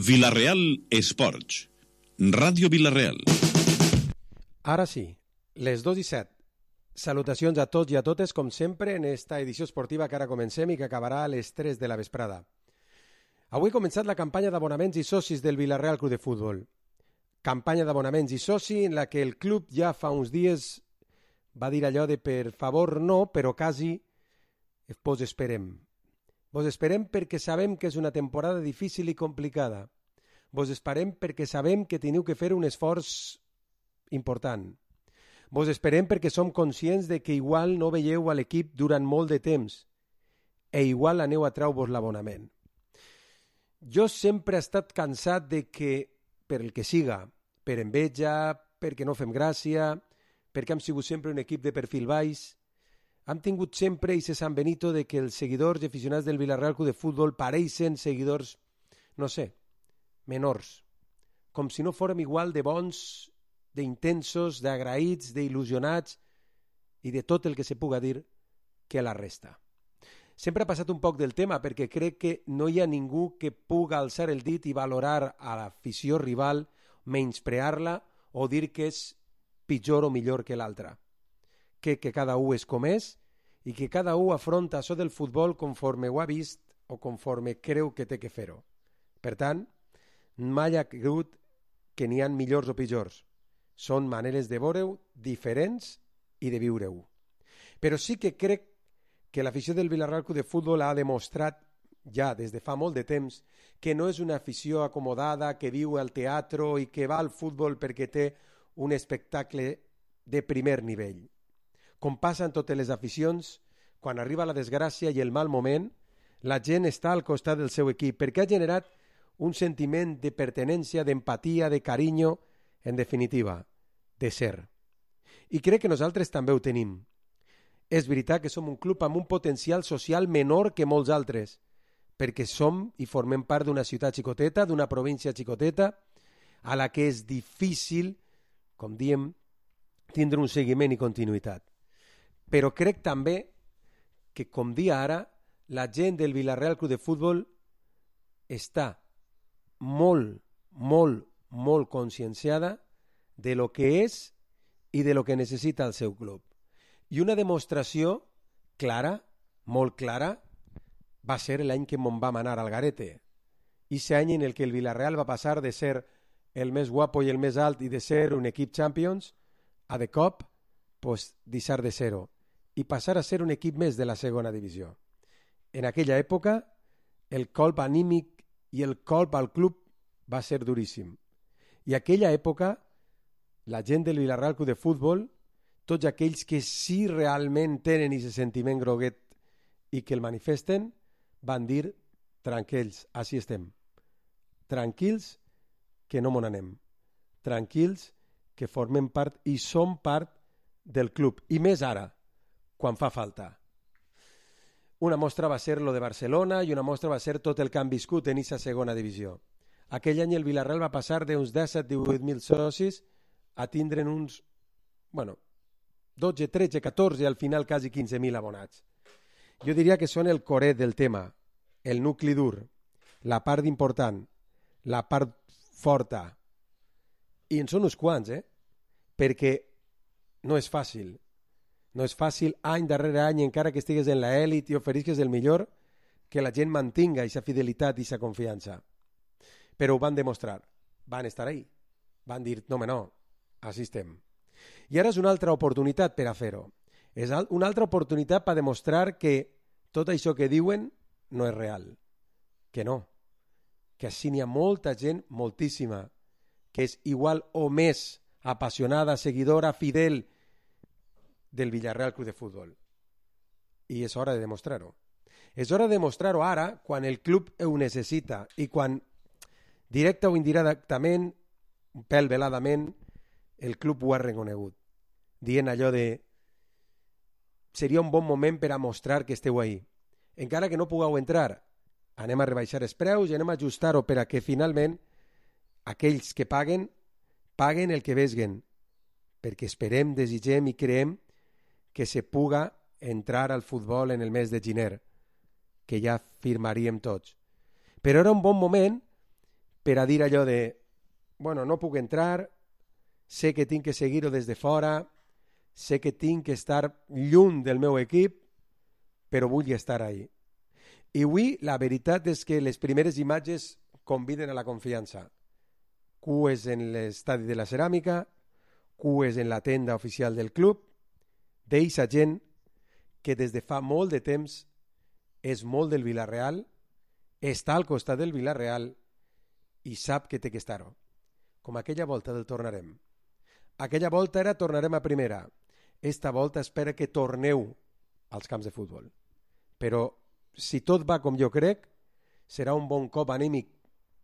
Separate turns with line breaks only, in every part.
Vila-real Esports. Ràdio Vila-real.
Ara sí, les 2:07. Salutacions a tots i a totes, com sempre, en esta edició esportiva que ara comencem i que acabarà a les 3 de la vesprada. Avui ha començat la campanya d'abonaments i socis del Vila-real Club de Futbol. Campanya d'abonaments i soci en la que el club ja fa uns dies va dir allò de per favor no, però quasi vos esperem. Vos esperem perquè sabem que és una temporada difícil i complicada. Vos esperem perquè sabem que teniu que fer un esforç important. Vos esperem perquè som conscients de que igual no veieu a l'equip durant molt de temps e igual aneu a treu-vos l'abonament. Jo sempre he estat cansat de que, per el que siga, per enveja, perquè no fem gràcia, perquè hem sigut sempre un equip de perfil baix, hem tingut sempre aquest Sant Benito de que els seguidors i aficionats del Vila-real Club de Futbol pareixen seguidors, no sé, menors, com si no fórem igual de bons, d'intensos, d'agraïts, d'il·lusionats i de tot el que se puga dir que la resta. Sempre ha passat un poc del tema perquè crec que no hi ha ningú que puga alçar el dit i valorar a l'afició rival, menysprear-la o dir que és pitjor o millor que l'altra. Que cada un és com és i que cada un afronta això del futbol conforme ho ha vist o conforme creu que té que fer-ho. Per tant, mai ha cregut que n'hi ha millors o pitjors. Són maneres de veure-ho diferents i de viure-ho. Però sí que crec que l'afició del Vila-real Club de Futbol ha demostrat ja des de fa molt de temps que no és una afició acomodada que viu al teatre i que va al futbol perquè té un espectacle de primer nivell. Com passa en totes les aficions, quan arriba la desgràcia i el mal moment, la gent està al costat del seu equip perquè ha generat un sentiment de pertenència, d'empatia, de carinyo, en definitiva, de ser. I crec que nosaltres també ho tenim. És veritat que som un club amb un potencial social menor que molts altres, perquè som i formem part d'una ciutat xicoteta, d'una província xicoteta, a la que és difícil, com diem, tindre un seguiment i continuïtat. Però crec també que, com dia ara, la gent del Vila-real Club de Futbol està molt, molt, molt conscienciada de lo que és i de lo que necessita el seu club. I una demostració clara, molt clara, va ser l'any que me'n vam anar al Garete. Ese any en el que el Vila-real va passar de ser el més guapo i el més alt i de ser un equip Champions a de cop, pues, deixar de ser-ho i passar a ser un equip més de la segona divisió. En aquella època, el colp anímic i el colp al club va ser duríssim. I aquella època, la gent del Vila-real Club de Futbol, tots aquells que sí realment tenen aquest sentiment groguet i que el manifesten, van dir, tranquils, així estem. Tranquils, que no mon anem. Tranquils, que formem part i som part del club. I més ara, quan fa falta. Una mostra va ser lo de Barcelona i una mostra va ser tot el que han viscut en aquesta segona divisió. Aquell any el Vila-real va passar d'uns 17-18.000 socis a tindre'n uns, 12, 13, 14, al final quasi 15.000 abonats. Jo diria que són el coret del tema, el nucli dur, la part important, la part forta. I en són uns quants, perquè no és fàcil. No és fàcil any darrere any, encara que estigues en l'elit i oferisques el millor, que la gent mantinga aquesta fidelitat i aquesta confiança. Però ho van demostrar, van estar ahí, van dir, no, així estem. I ara és una altra oportunitat per a fer-ho. És una altra oportunitat per demostrar que tot això que diuen no és real, que no, que així n'hi ha molta gent, moltíssima, que és igual o més apassionada, seguidora, fidel del Vila-real Club de Futbol. I és hora de demostrar-ho. És hora de demostrar-ho ara, quan el club ho necessita i quan, directe o indirectament, un pèl veladament, el club ho ha reconegut, dient allò de seria un bon moment per a mostrar que esteu ahí. Encara que no pugueu entrar, anem a rebaixar els preus i anem a ajustar-ho per a que finalment aquells que paguen el que vesguen, perquè esperem, desitgem i creem que se puga entrar al futbol en el mes de gener, que ja firmaríem tots. Però era un bon moment per a dir allò de bueno, no puc entrar, sé que tinc que seguir-ho des de fora, sé que tinc que estar lluny del meu equip, però vull estar ahí. I avui la veritat és que les primeres imatges conviden a la confiança. Cues en l'estadi de la Ceràmica, cues en la tenda oficial del club, d'eixa gent que des de fa molt de temps és molt del Villarreal, està al costat del Villarreal i sap que té que estar-ho. Com aquella volta del tornarem. Aquella volta era tornarem a primera. Esta volta espera que torneu als camps de futbol. Però si tot va com jo crec, serà un bon cop anímic,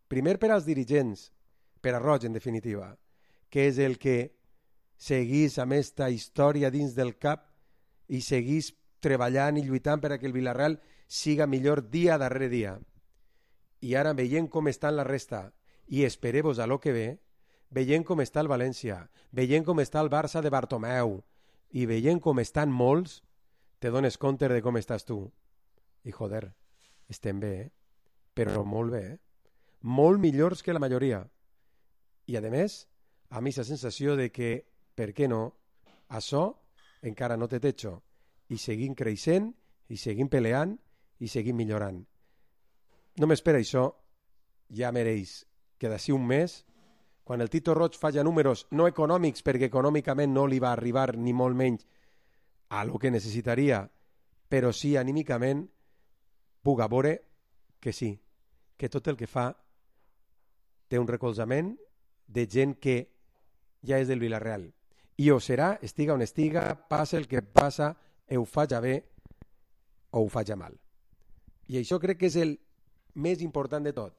primer per als dirigents, per a Roig en definitiva, que és el que seguís amb esta història dins del cap i seguís treballant i lluitant per a que el Villarreal siga millor dia darrere dia. I ara veient com estan la resta i espereu-vos a lo que ve, veient com està el València, veient com està el Barça de Bartomeu i veient com estan molts, te dones compte de com estàs tu. I joder, estem bé, però molt bé, molt millors que la majoria. I a més, a mi la sensació de que, per què no, això encara no té techo i seguim creixent, i seguim peleant i seguim millorant. Només per això ja mereix que d'ací un mes, quan el Tito Roig faci números no econòmics, perquè econòmicament no li va arribar ni molt menys a lo que necessitaria, però sí anímicament, puga veure que sí, que tot el que fa té un recolzament de gent que ja és del Villarreal. I ho serà, estiga on estiga, passa el que passa, ho faig bé o ho faig mal. I això crec que és el més important de tot.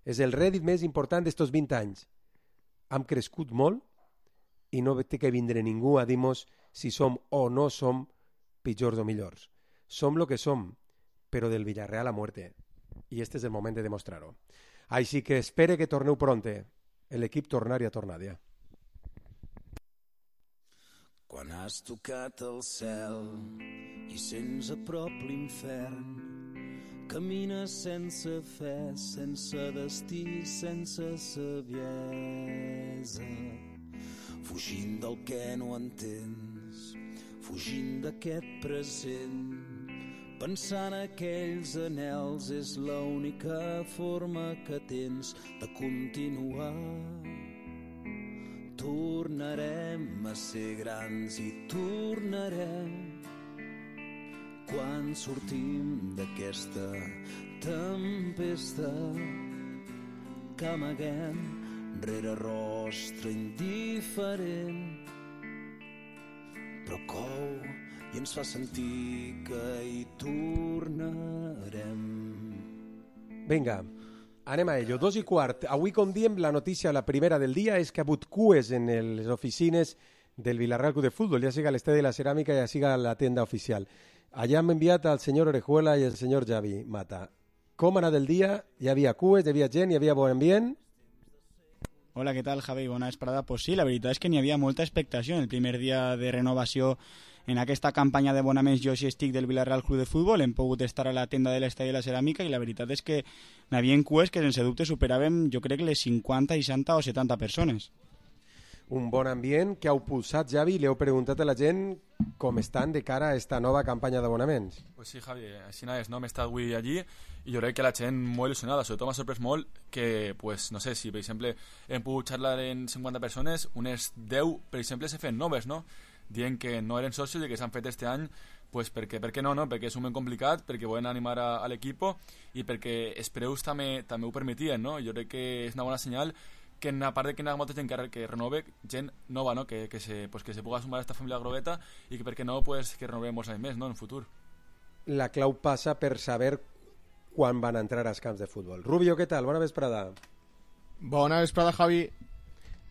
És el rèdit més important d'estos 20 anys. Hem crescut molt i no té que vindre ningú a dir-nos si som o no som pitjors o millors. Som lo que som, però del Villarreal a muerte. I este és el moment de demostrar-ho. Així que espere que torneu pronte. L'equip tornar i ha tornat ja.
Quan has tocat el cel i sents a prop l'infern, camines sense fe, sense destí, sense saviesa, fugint del que no entens, fugint d'aquest present, pensant aquells anhels és l'única forma que tens de continuar. Tornarem a ser grans i tornarem quan sortim d'aquesta tempesta que amaguem rere rostre indiferent, però cou i ens fa sentir que hi tornarem.
Vinga, anem a ello. 2:15. Avui, com diem, la notícia, la primera del dia, és que ha hagut cues en les oficines del Villarreal Club de Fútbol, ja siga l'estadi de la Ceràmica, ja siga la tenda oficial. Allà hem enviat al senyor Orejuela i al senyor Javi Mata. Com ha anat el dia? Hi havia cues, hi havia gent, hi havia bon ambient?
Hola, què tal, Javi? Bona vesprada. Pues sí, la veritat és que n'hi havia molta expectació en el primer dia de renovació en aquesta campanya d'abonaments Jo sí estic del Villarreal Club de Futbol. Hem pogut estar a la tenda de l'estadi de la Ceràmica i la veritat és que n'hi havia cues que sense dubte superaven, jo crec, les 50, 60 o 70 persones.
Un bon ambient que heu pulsat, Javi, li heu preguntat a la gent com estan de cara a esta nova campanya d'abonaments.
Pues sí, Javi, així és, no? M'he estat avui allí i jo crec que la gent molt il·lusionada, sobretot m'ha sorprès molt que, pues, no sé, si per exemple hem pogut xerrar en 50 persones, unes 10, per exemple, se feien noves, no? Dient que no eren socios i que s'han fet este any, pues perquè, per què no? Perquè és un moment complicat, perquè volen animar a l'equip i perquè els preus també ho permetien, no? Jo crec que és una bona senyal que a part de que hi ha molta gent que renove, gent nova, no? que se puga sumar a esta família grobeta i que per què no, pues, que renovem molts anys més, no? En el futur.
La clau passa per saber quan van entrar als camps de futbol. Rubio, què tal? Bona vesprada.
Bona vesprada, Javi.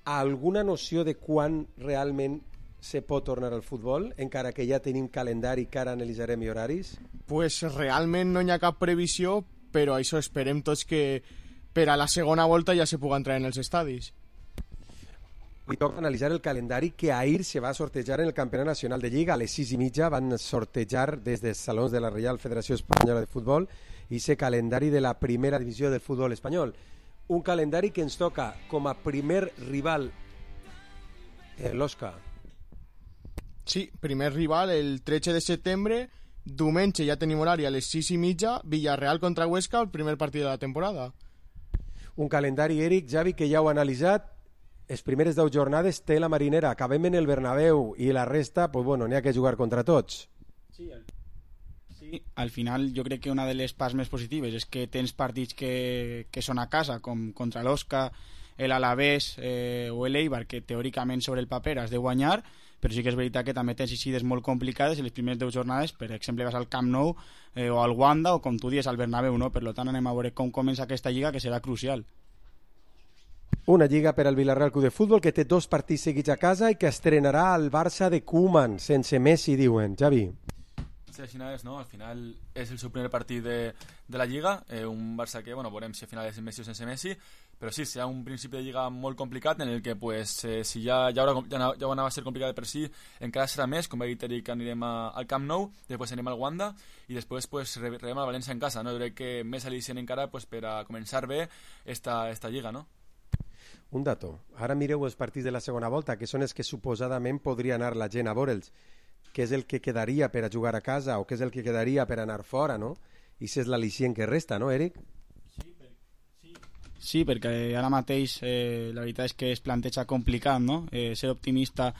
Alguna noció de quan realment se pot tornar al futbol, encara que ja tenim calendari que ara analitzarem i horaris?
Pues realment no hi ha cap previsió, però això esperem tots que per a la segona volta ja se puga entrar en els estadis.
Avui toca analitzar el calendari que ahir se va sortejar en el Campionat Nacional de Lliga. A les 6:30 van sortejar des dels salons de la Reial Federació Espanyola de Futbol i ese calendari de la primera divisió del futbol espanyol. Un calendari que ens toca com a primer rival l'Oscar.
Sí, primer rival el 13 de setembre, diumenge ja tenim horari a les 6:30, Villarreal contra Huesca, el primer partit de la temporada.
Un calendari, Eric, Javi, que ja heu analitzat. Les primeres 10 jornades té la Marinera, acabem en el Bernabéu i la resta, pues bueno, n'hi ha que jugar contra tots.
Sí, al final jo crec que una de les parts més positives és que tens partits que són a casa, com contra l'Osca, l'Alavés o l'Eibar, que teòricament sobre el paper has de guanyar, però sí que és veritat que també tens eixides molt complicades en les primeres 10 jornades, per exemple vas al Camp Nou o al Wanda o com tu dius al Bernabéu, no? Per tant anem a veure com comença aquesta lliga, que serà crucial.
Una lliga per al Villarreal Club de Futbol que té 2 partits seguits a casa i que estrenarà el Barça de Koeman, sense Messi, diuen. Javi.
Sí, al final no? Al final és el seu primer partit de la Lliga, un Barça que, bueno, veurem si al final és Messi o sense Messi, però sí, serà un principi de Lliga molt complicat en el que, pues, si ja anava a ser complicat per si, encara serà més, com va dir Eric, anirem al Camp Nou, després anem al Wanda i després pues, rebem al València en casa, no? Jo crec que més al·licient encara pues, per a començar bé esta Lliga, no?
Un dato, ara mireu els partits de la segona volta, que són els que suposadament podria anar la gent a veure'ls, què és el que quedaria per a jugar a casa o què és el que quedaria per anar fora, no? I si és l'al·licient que resta, no, Eric?
Sí, perquè ara mateix la veritat és que es planteja complicat, no? Ser optimista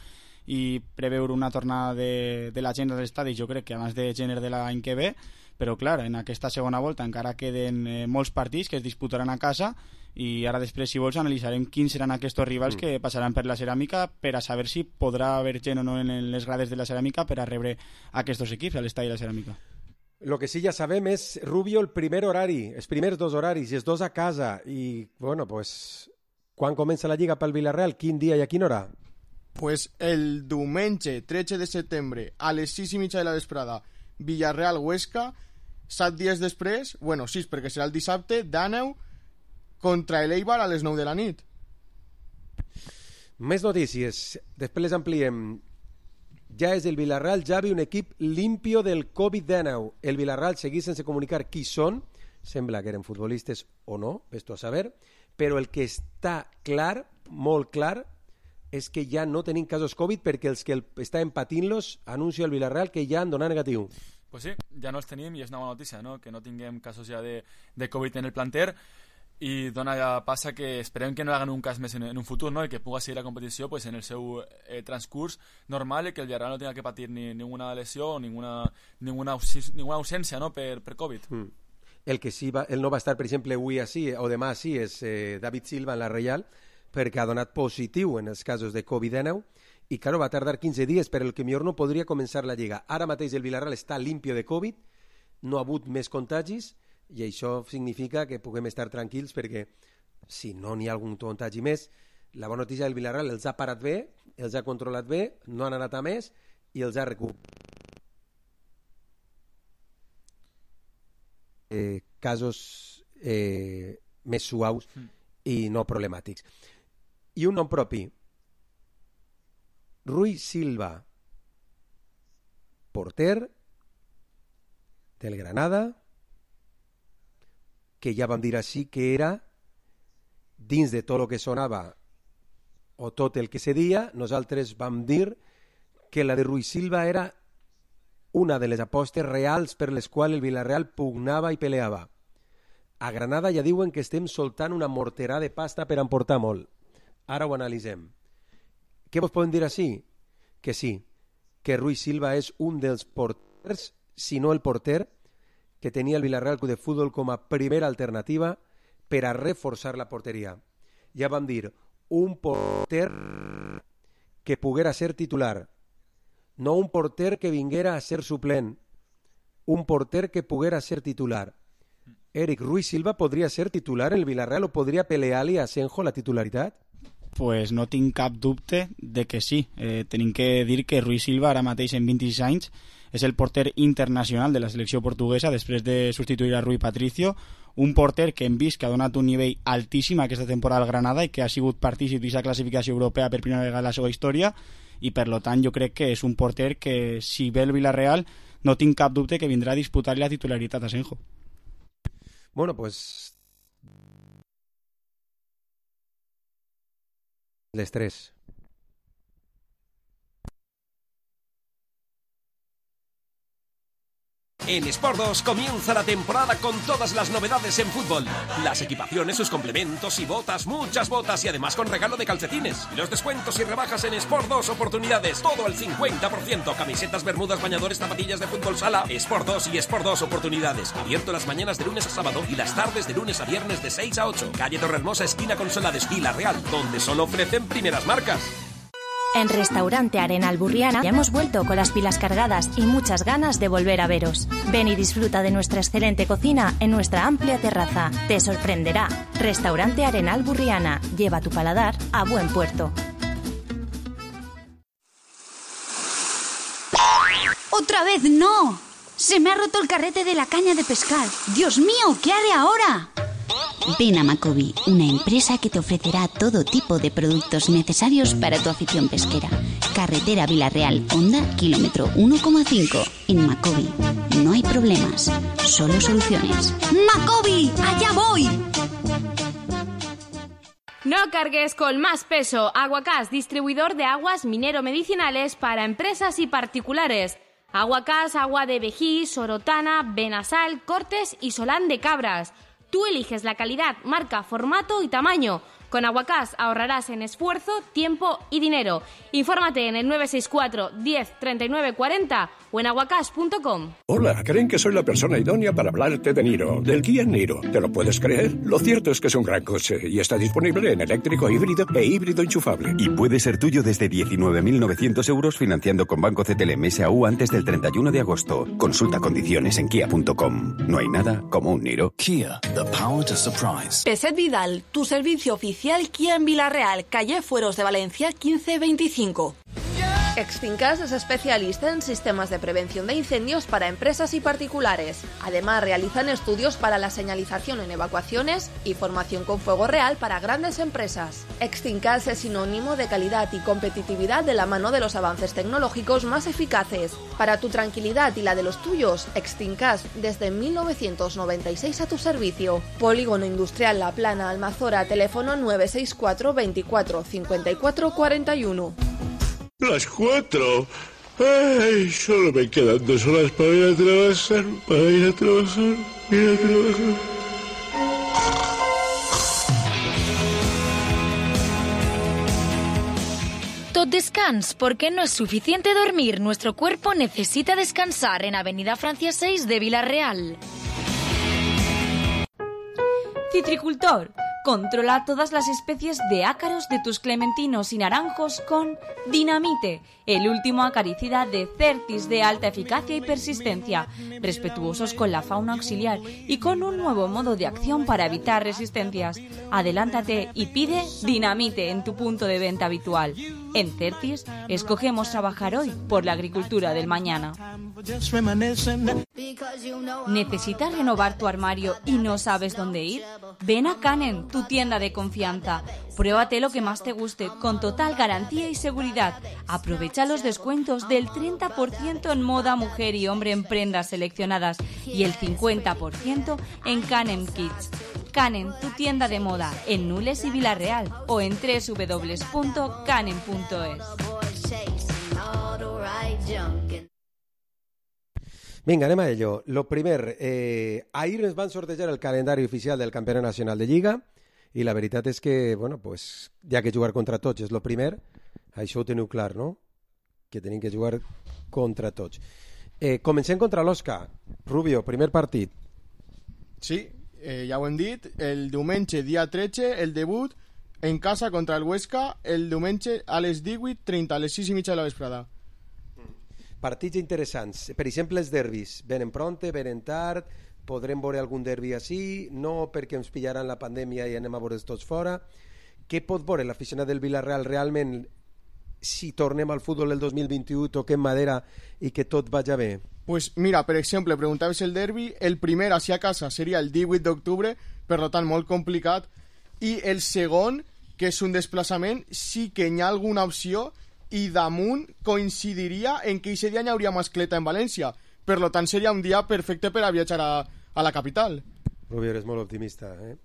i preveure una tornada de la gent als estadis, jo crec que abans de gener de l'any que ve, però clar, en aquesta segona volta encara queden molts partits que es disputaran a casa i ara després, si vols, analitzarem quins seran aquests rivals que passaran per la Ceràmica per a saber si podrà haver gent o no en les grades de la Ceràmica per a rebre aquests equips a l'estadi de la Ceràmica.
Lo que sí ja sabem és, Rubio, el primer horari, els primers 2 horaris, i els 2 a casa, i, bueno, pues, quan comença la Lliga pel Villarreal? Quin dia i a quina hora?
Pues el diumenge 13 de setembre a les 6:30 de la vesprada, Villarreal-Huesca, 7 dies després, bueno, 6 perquè serà el dissabte, d'Àneu contra l'Eibar a les 9 de la nit.
Més notícies, després les ampliem. Ja és el Villarreal, Javi, un equip limpio del Covid-19. El Villarreal segueix sense comunicar qui són, sembla que eren futbolistes o no, ves-t'ho a saber, però el que està clar, molt clar, és que ja no tenim casos Covid perquè els que estaven patint-los anuncia el Villarreal que ja han donat negatiu.
Pues sí, ja no els tenim i és una bona notícia, no? Que no tinguem casos ja de Covid en el planter i passa que esperem que no hagan un cas més en un futur, no? I que pugui seguir la competició pues, en el seu transcurs normal i que el Villarreal no tenga que patir ninguna lesió o ninguna ausència, no? per Covid.
El que sí el no va estar, per exemple, avui així o demà així és David Silva en la Reial, perquè ha donat positiu en els casos de Covid-19 i, claro, va tardar 15 dies, però el que millor no podria començar la Lliga. Ara mateix el Villarreal està limpio de Covid, no ha hagut més contagis i això significa que puguem estar tranquils perquè si no n'hi ha algun contagi més, la bona notícia del Villarreal els ha parat bé, els ha controlat bé, no han anat a més i els ha recuperat. Casos més suaus i no problemàtics. I un nom propi, Rui Silva, porter del Granada, que ja vam dir així que era, dins de tot el que sonava o tot el que se dia, nosaltres vam dir que la de Rui Silva era una de les apostes reals per les quals el Villarreal pugnava i peleava. A Granada ja diuen que estem soltant una morterà de pasta per emportar molt. Ara ho analitzem. Què vos podem dir així? Que sí, que Rui Silva és un dels porters, si no el porter, que tenia el Villarreal Club de Futbol com a primera alternativa per a reforçar la porteria. Ja vam dir, un porter que poguera ser titular, no un porter que vinguera a ser suplent, un porter que poguera ser titular. Eric, Rui Silva podria ser titular en el Villarreal o podria pelear-li a Asenjo la titularitat?
Pues no tinc cap dubte de que sí. Tenim que dir que Rui Silva ara mateix en 26 anys és el porter internacional de la selecció portuguesa després de substituir a Rui Patricio, un porter que hem vist que ha donat un nivell altíssim aquesta temporada al Granada i que ha sigut partícip d'aquesta classificació europea per primera vegada en la seva història i per lo tant jo crec que és un porter que si ve el Villarreal no tinc cap dubte que vindrà a disputar-li la titularitat a Asenjo.
Bueno, pues Les 3.
En Sport 2 comienza la temporada con todas las novedades en fútbol. Las equipaciones, sus complementos y botas, muchas botas y además con regalo de calcetines. Los descuentos y rebajas en Sport 2 Oportunidades, todo al 50%. Camisetas, bermudas, bañadores, zapatillas de fútbol sala. Sport 2 y Sport 2 Oportunidades. Abierto las mañanas de lunes a sábado y las tardes de lunes a viernes de 6 a 8. Calle Torrehermosa, esquina Consolades, Vila-real, donde solo ofrecen primeras marcas.
En Restaurante Arenal Burriana ya hemos vuelto con las pilas cargadas y muchas ganas de volver a veros. Ven y disfruta de nuestra excelente cocina en nuestra amplia terraza. Te sorprenderá. Restaurante Arenal Burriana. Lleva tu paladar a buen puerto.
¡Otra vez no! Se me ha roto el carrete de la caña de pescar. ¡Dios mío! ¿Qué haré ahora?
Ven a Macobi, una empresa que te ofrecerá todo tipo de productos necesarios para tu afición pesquera. Carretera Vila-real, Honda, kilómetro 1,5. En Macobi no hay problemas, solo soluciones.
¡Macobi! ¡Allá voy!
No cargues con más peso. Aguacás, distribuidor de aguas minero-medicinales para empresas y particulares. Aguacás, agua de Vejí, Sorotana, Benasal, Cortes y Solán de Cabras. Tú eliges la calidad, marca, formato y tamaño. Con Aguacás ahorrarás en esfuerzo, tiempo y dinero. Infórmate en el 964 10 39 40 o en aguacás.com.
Hola, creen que soy la persona idónea para hablarte de Niro, del Kia Niro. ¿Te lo puedes creer? Lo cierto es que es un gran coche y está disponible en eléctrico, híbrido e híbrido enchufable.
Y puede ser tuyo desde 19.900 euros financiando con Banco CTLM SAU antes del 31 de agosto. Consulta condiciones en kia.com. No hay nada como un Niro.
Kia, the power to surprise.
Peset Vidal, tu servicio oficial Kia en Vila-real, calle Fueros de Valencia 1525. Extincas es especialista en sistemas de prevención de incendios para empresas y particulares. Además, realizan estudios para la señalización en evacuaciones y formación con fuego real para grandes empresas. Extincas es sinónimo de calidad y competitividad de la mano de los avances tecnológicos más eficaces. Para tu tranquilidad y la de los tuyos, Extincas desde 1996 a tu servicio. Polígono Industrial La Plana, Almazora, teléfono 964 24 54 41.
Las 4. Ay, solo me quedan 2 horas para ir a trabajar.
Tot descans, porque no es suficiente dormir. Nuestro cuerpo necesita descansar en Avenida Francia 6 de Vila-real.
Citricultor. Controla todas las especies de ácaros de tus clementinos y naranjos con Dinamite, el último acaricida de Certis de alta eficacia y persistencia, respetuosos con la fauna auxiliar y con un nuevo modo de acción para evitar resistencias. Adelántate y pide Dinamite en tu punto de venta habitual. En Certis, escogemos trabajar hoy por la agricultura del mañana. ¿Necesitas renovar tu armario y no sabes dónde ir? Ven a Canen, tu tienda de confianza. Pruébate lo que más te guste, con total garantía y seguridad. Aprovecha los descuentos del 30% en moda mujer y hombre en prendas seleccionadas y el 50% en Canen Kids. Canen, tu tienda de moda, en Nules y Vila-real o en www.canen.es.
Vinga, anem a ello. Lo primer, ahir ens van sortejar el calendari oficial del Campionat Nacional de Lliga i la veritat és que, bueno, pues, ja que jugar contra tots és lo primer, això ho teniu clar, no? Que tenim que jugar contra tots. Comencem contra l'Osca. Rubio, primer partit.
Sí, ja ho hem dit, el diumenge, dia 13, el debut en casa contra el Huesca, el diumenge a les 18:30, a les 6:30 de la vesprada.
Partits interessants. Per exemple, els derbis. Venen pronte, venen tard, podrem veure algun derbi així, no perquè ens pillaran la pandèmia i anem a veure'ls tots fora. Què pot veure l'aficionat del Vila-real realment si tornem al futbol del 2021, toquem madera i que tot vagi bé?
Pues mira, per exemple, preguntaves el derbi, el primer així a casa seria el 18 d'octubre, per tant molt complicat, i el segon, que és un desplaçament, sí que hi ha alguna opció i damunt coincidiria en que aquest dia hi hauria mascleta en València, per tant seria un dia perfecte per a viatjar a la capital.
Rubio, eres molt optimista, eh?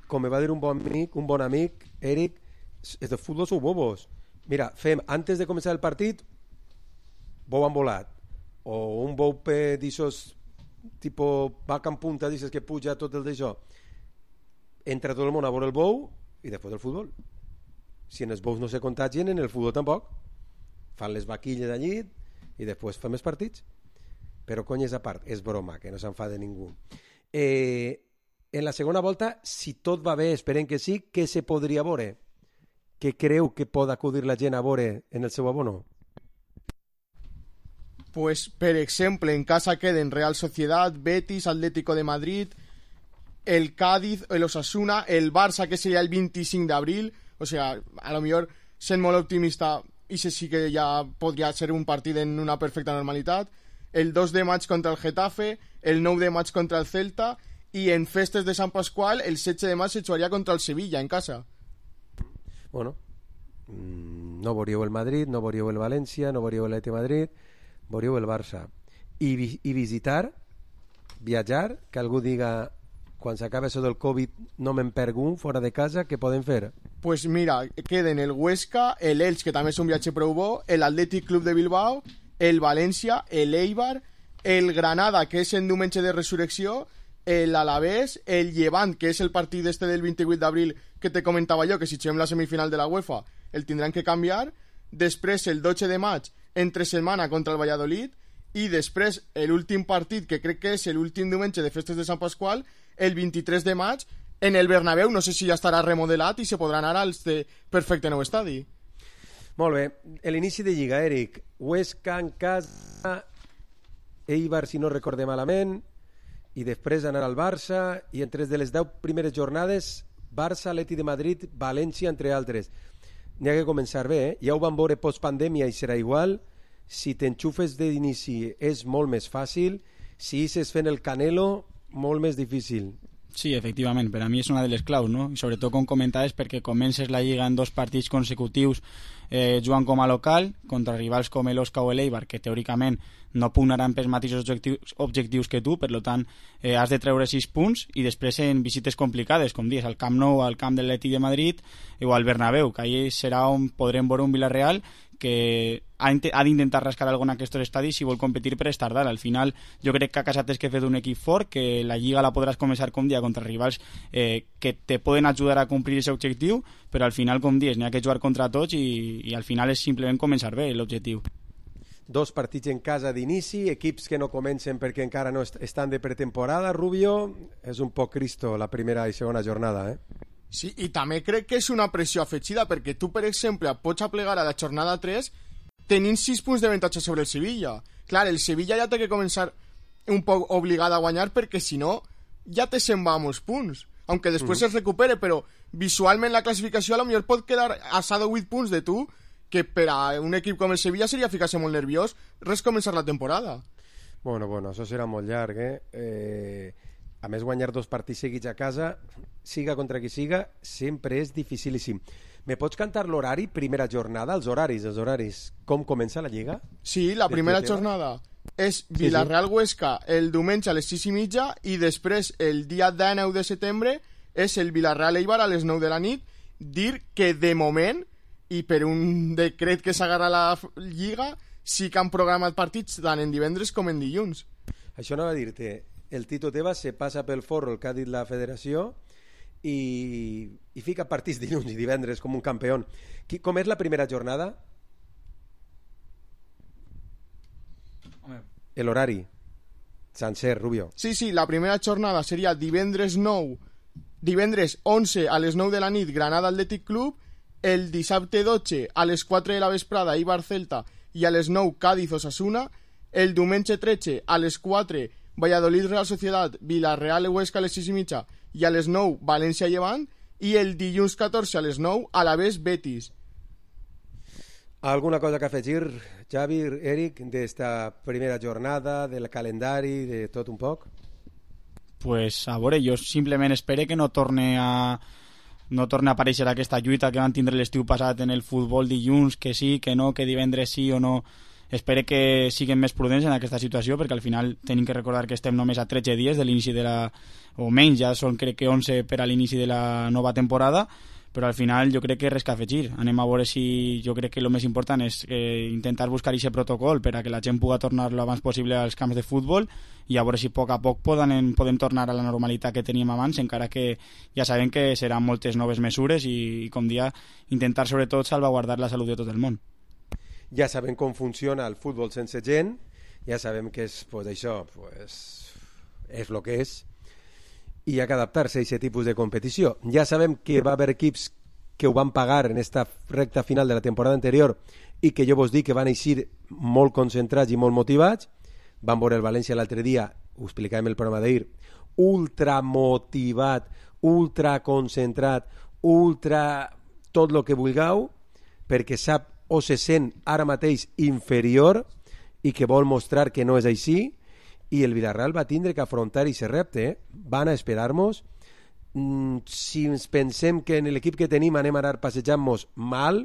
Com me va dir un bon amic, Eric, els de futbol sou bobos. Mira, fem, antes de començar el partit, bou envolat, o un bou d'aixòs, tipo vaca en punta, d'aixòs que puja tot el d'això. Entra tot el món a veure el bou i després el futbol. Si en els bous no se contagien, en el futbol tampoc. Fan les vaquilles allí i després fem els partits. Però cony, és a part, és broma, que no s'enfada ningú. En la segona volta, si tot va bé, esperem que sí, què se podria veure? Què creu que pot acudir la gent a veure en el seu abono?
Pues, per exemple, en casa queden Real Sociedad, Betis, Atlético de Madrid, el Cádiz, el Osasuna, el Barça, que sería el 25 de abril. O sea, a lo mejor, sent molt optimista, i sí que ja podria ser un partit en una perfecta normalitat. El 2 de maig contra el Getafe, el 9 de maig contra el Celta, i en festes de Sant Pasqual, el 16 de maig se jugaria contra el Sevilla, en casa.
Bueno, no veuríeu el Madrid, no veuríeu el València, no veuríeu l'Atlètic de Madrid, veuríeu el Barça. I visitar, viatjar, que algú diga, quan s'acaba això del Covid, no me'n perc un fora de casa, què poden fer?
Pues mira, queden el Huesca, el Elx, que també és un viatge prou bo, el Athletic Club de Bilbao, el València, el Eibar, el Granada, que és en diumenge de resurrecció, el Alavés, el Llevant, que és el partit este del 28 d'abril que te comentava jo, que si juguem la semifinal de la UEFA el tindran que canviar. Després el 12 de maig entre setmana contra el Valladolid, i després l'últim partit, que crec que és l'últim diumenge de festes de Sant Pasqual, el 23 de maig en el Bernabéu. No sé si ja estarà remodelat i se podrà anar al perfecte nou estadi.
Molt bé, l'inici de Lliga, Eric. Huesca en casa, Eibar, si no recordé malament, i després anar al Barça, i entre de les 10 primeres jornades, Barça, Atlètic de Madrid, València, entre altres. N'hi ha que començar bé, Ja ho vam veure postpandèmia i serà igual. Si t'enxufes d'inici és molt més fàcil, si ixes fent el Canelo, molt més difícil.
Sí, efectivament, per a mi és una de les claus, no? I sobretot, com comentaves, perquè comences la Lliga en 2 partits consecutius jugant com a local, contra rivals com l'Osca o l'Eibar, que teòricament no pugnaran pels mateixos objectius que tu, per tant, has de treure 6 punts, i després en visites complicades, com dius, al Camp Nou, al camp de l'Atlètic de Madrid o al Bernabéu, que allà serà on podrem veure un Villarreal que ha d'intentar rascar alguna d'aquests estadis si vol competir per estar dalt. Al final jo crec que a casa tens que fer un equip fort, que la Lliga la podràs començar com dia contra rivals que te poden ajudar a complir aquest objectiu, però al final, com dius, n'hi ha que jugar contra tots i al final és simplement començar bé l'objectiu.
2 partits en casa d'inici, equips que no comencen perquè encara no estan de pretemporada. Rubio, és un poc Cristo la primera i segona jornada,
Sí, i també crec que és una pressió afegida, perquè tu, per exemple, pots aplegar a la jornada 3 tenint 6 punts d'avantatge sobre el Sevilla. Clar, el Sevilla ja té que començar un poc obligat a guanyar, perquè si no ja te se'n va a molts punts, aunque després es recupere, però visualment la classificació a lo millor pot quedar a 7 o 8 punts de tu, que per a un equip com el Sevilla seria ficar-se molt nerviós res començar la temporada.
Bueno, això serà molt llarg, A més, guanyar 2 partits seguits a casa, siga contra qui siga, sempre és dificilíssim. Me pots cantar l'horari, primera jornada, els horaris? Com comença la Lliga?
Sí, la primera jornada és Villarreal-Huesca el diumenge a les 6:30, i després el dia 19 de setembre és el Villarreal-Eibar a les 9 de la nit. Dir que de moment, i per un decret que s'agarra la Lliga, sí que han programat partits tant en divendres com en dilluns.
Això anava a dir-te, el Tito Tebas se passa pel forro el que ha dit la federació i fica partits dilluns i divendres com un campió. Com és la primera jornada? L'horari sencer, Rubio.
Sí, la primera jornada seria divendres 11 a les 9 de la nit, Granada Athletic Club, el dissabte 12 a les 4 de la vesprada, Eibar Celta, i a les 9 Cádiz Osasuna, el diumenge 13 a les 4 Valladolid Real Sociedad, Villarreal Huesca a les 6:30 i a les 9 València Llevant, i el dilluns 14 a les 9 Alavés Betis.
¿Alguna cosa que afegir, Xavi, Eric, d'esta primera jornada, del calendari, de tot un poc?
Pues a veure, jo simplement espero que no torne a aparèixer aquesta lluita que van tindre l'estiu passat en el futbol dilluns, que sí, que no, que divendres sí o no. Espero que siguin més prudents en aquesta situació, perquè al final tenim que recordar que estem només a 13 dies de l'inici de la... o menys, ja són crec que 11 per a l'inici de la nova temporada, però al final jo crec que res que afegir. Anem a veure si... Jo crec que el més important és intentar buscar aquest protocol per a que la gent pugui tornar lo abans possible als camps de futbol i a veure si a poc podem tornar a la normalitat que teníem abans, encara que ja sabem que seran moltes noves mesures i com dia, intentar sobretot salvaguardar la salut de tot el món.
Ja sabem com funciona el futbol sense gent, ja sabem que és, pues, això pues, és el que és, i hi ha que adaptar-se a aquest tipus de competició. Ja sabem que va haver equips que ho van pagar en esta recta final de la temporada anterior i que jo vos dic que van eixir molt concentrats i molt motivats. Van veure el València l'altre dia, ho explicàvem el programa d'ahir, ultra motivat, ultra concentrat, ultra tot el que vulgueu, perquè sap o se sent ara mateix inferior i que vol mostrar que no és així, i el Villarreal va tindre que afrontar aquest repte. Van a esperar-nos. Si ens pensem que en l'equip que tenim anem a anar passejant-nos mal,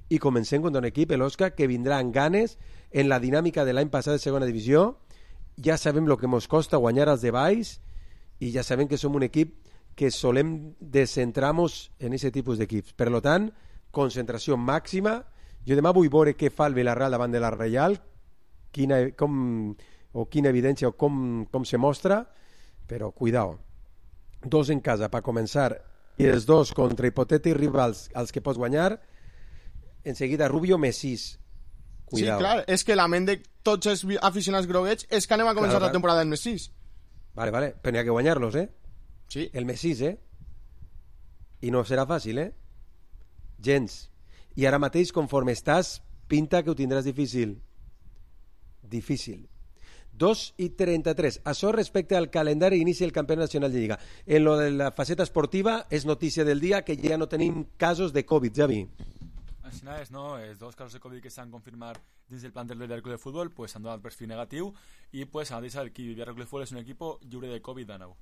i comencem contra un equip, l'Osca, que vindrà amb ganes en la dinàmica de l'any passat de segona divisió. Ja sabem el que ens costa guanyar als de baix i ja sabem que som un equip que solem descentrar-nos en aquest tipus d'equips. Per tant, concentració màxima. Jo demà vull veure què fa el Villarreal davant de la Reial, quina evidència o com se mostra, però cuidao. 2 en casa per començar i els 2 contra hipotètics rivals als que pots guanyar. En seguida Rubio més 6. Cuidao.
Sí, clar, és que la ment de tots els aficionats groguets és que anem a començar la temporada en més 6.
Vale, però n'hi ha que guanyar-los,
Sí.
El més 6, I no serà fàcil, Gens. I ara mateix, conforme estàs, pinta que ho tindràs difícil. 2:33. Això respecte al calendari inici del Campionat Nacional de Lliga. En lo de la faceta esportiva és notícia del dia que ja no tenim casos de Covid, Javi.
Així és, no? Els 2 casos de Covid que s'han confirmat dins del plantel del Club de Futbol pues, han donat perfil negatiu i pues, han dit que el Villarreal Club de Futbol és un equip lliure de Covid de nou.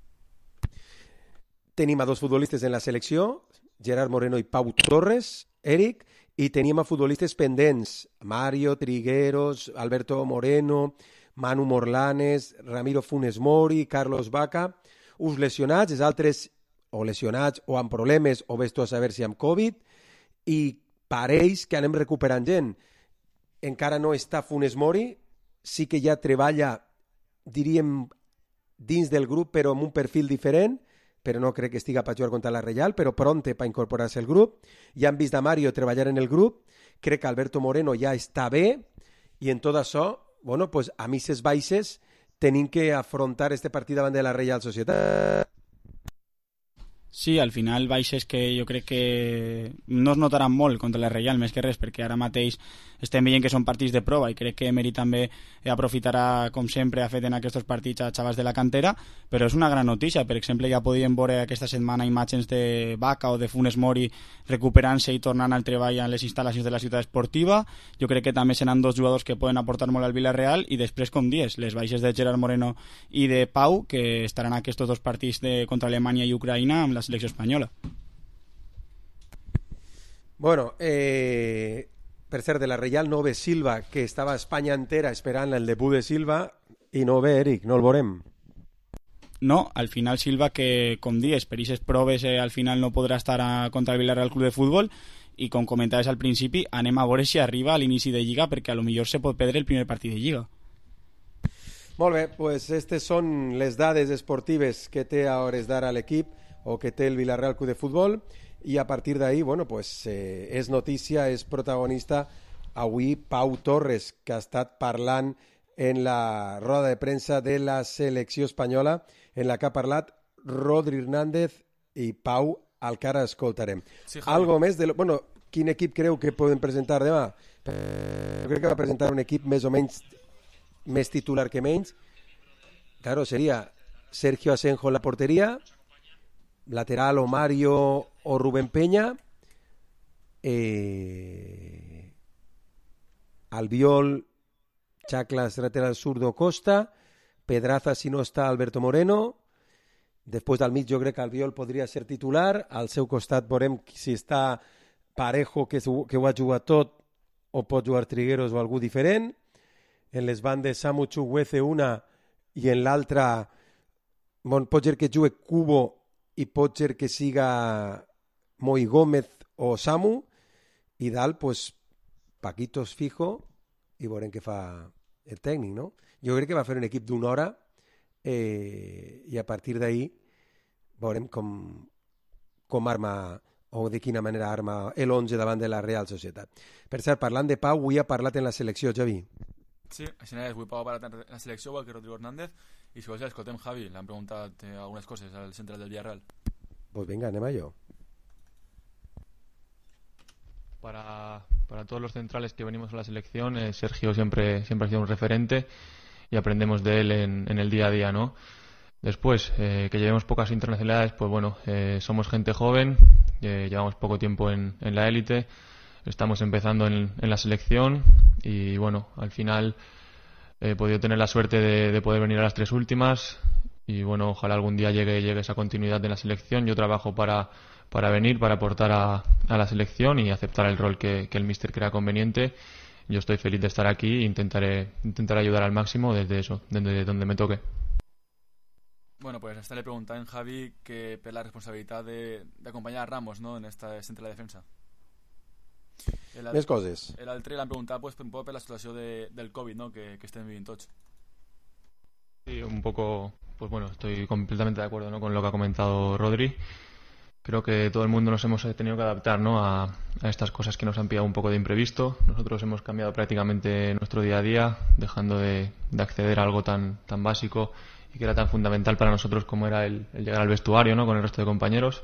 Tenim a 2 futbolistes en la selecció, Gerard Moreno i Pau Torres, Eric, i teníem a futbolistes pendents, Mario Trigueros, Alberto Moreno, Manu Morlanes, Ramiro Funes Mori, Carlos Vaca, uns lesionats, els altres o lesionats o amb problemes o ves tu a saber si amb Covid, i pareix que anem recuperant gent. Encara no està Funes Mori, sí que ja treballa, diríem, dins del grup, però amb un perfil diferent, però no crec que estiga per jugar contra la Reial, però pronte per incorporar-se al grup. Ja han vist a Mario treballar en el grup, crec que Alberto Moreno ja està bé, i en tot això, bueno, pues a misses baixes tenim que afrontar este partit davant de la Reial Societat.
Sí, al final baixes que jo crec que no es notaran molt contra la Reial, més que res, perquè ara mateix estem veient que són partits de prova i crec que Emery també aprofitarà, com sempre ha fet en aquests partits, a xavals de la cantera, però és una gran notícia. Per exemple, ja podíem veure aquesta setmana imatges de Vaca o de Funes Mori recuperant-se i tornant al treball en les instal·lacions de la ciutat esportiva. Jo crec que també seran 2 jugadors que poden aportar molt al Villarreal, i després, com dius, les baixes de Gerard Moreno i de Pau, que estaran aquests 2 partits contra Alemanya i Ucraïna amb la selecció espanyola.
Bueno, per cert, de la Reial no ve Silva, que estava a Espanya entera esperant el debut de Silva, i no ve Eric, no el veurem.
No, al final Silva, que com dius, per aquestes proves al final no podrà estar contra el Villarreal Club de Futbol, i com comentaves al principi, anem a veure si arriba a l'inici de Lliga, perquè a lo millor se pot perdre el primer partit de Lliga.
Molt bé, pues aquestes són les dades esportives que té a hores d'ara l'equip, o que té el Villarreal Club de Futbol, i a partir d'ahí, bueno, pues, és notícia, és protagonista avui Pau Torres, que ha estat parlant en la roda de premsa de la selecció espanyola, en la que ha parlat Rodri Hernández i Pau, al que ara escoltarem. Sí, algo més de... Bueno, quin equip creu que poden presentar demà? Jo crec que va presentar un equip més o menys més titular que menys. Claro, seria Sergio Asenjo en la porteria, lateral o Mario o Rubén Peña, Albiol, Chaclas, lateral zurdo, Costa, Pedraza si no està Alberto Moreno, després del mig jo crec que Albiol podria ser titular, al seu costat veurem si està Parejo, que ho ha jugat tot, o pot jugar Trigueros o algú diferent, en les bandes Samu Chukwueze una i en l'altra pot ser que jugui Cubo i pot ser que siga Moi Gómez o Samu, i dalt, pues, Paquitos fijo, i veurem què fa el tècnic, no? Jo crec que va fer un equip d'una hora i a partir d'ahí veurem com arma o de quina manera arma l'11 davant de la Real Societat. Per cert, parlant de Pau, avui ha parlat en la selecció, Javi.
Sí, així és, avui Pau ha parlat en la selecció, igual que Rodrigo Hernández, i si vols escoltem Javi, l'han preguntat algunes coses al central del Villarreal.
Pues venga, anem a ello.
Para todos los centrales que venimos a la selección, Sergio siempre ha sido un referente y aprendemos de él en el día a día, ¿no? Después, que llevemos pocas internacionalidades, pues bueno, somos gente joven, llevamos poco tiempo en la élite, estamos empezando en la selección y bueno, al final he podido tener la suerte de poder venir a las 3 últimas y bueno, ojalá algún día llegue esa continuidad de la selección. Yo trabajo para venir, para aportar a la selección y aceptar el rol que el míster crea conveniente. Yo estoy feliz de estar aquí e intentaré ayudar al máximo desde donde me toque.
Bueno, pues esta le preguntaba en Javi que per la responsabilitat d'acompanyar a Ramos, no?, en esta centre de la defensa.
Més coses.
L'altre l'han preguntat pues, un poco per la situació del Covid, ¿no?, que estem vivint tots.
Sí, un poco, pues bueno, estoy completamente de acuerdo, ¿no?, con lo que ha comentado Rodri. Creo que todo el mundo nos hemos tenido que adaptar, ¿no?, a estas cosas que nos han pillado un poco de imprevisto. Nosotros hemos cambiado prácticamente nuestro día a día, dejando de acceder a algo tan básico y que era tan fundamental para nosotros como era el llegar al vestuario, ¿no?, con el resto de compañeros.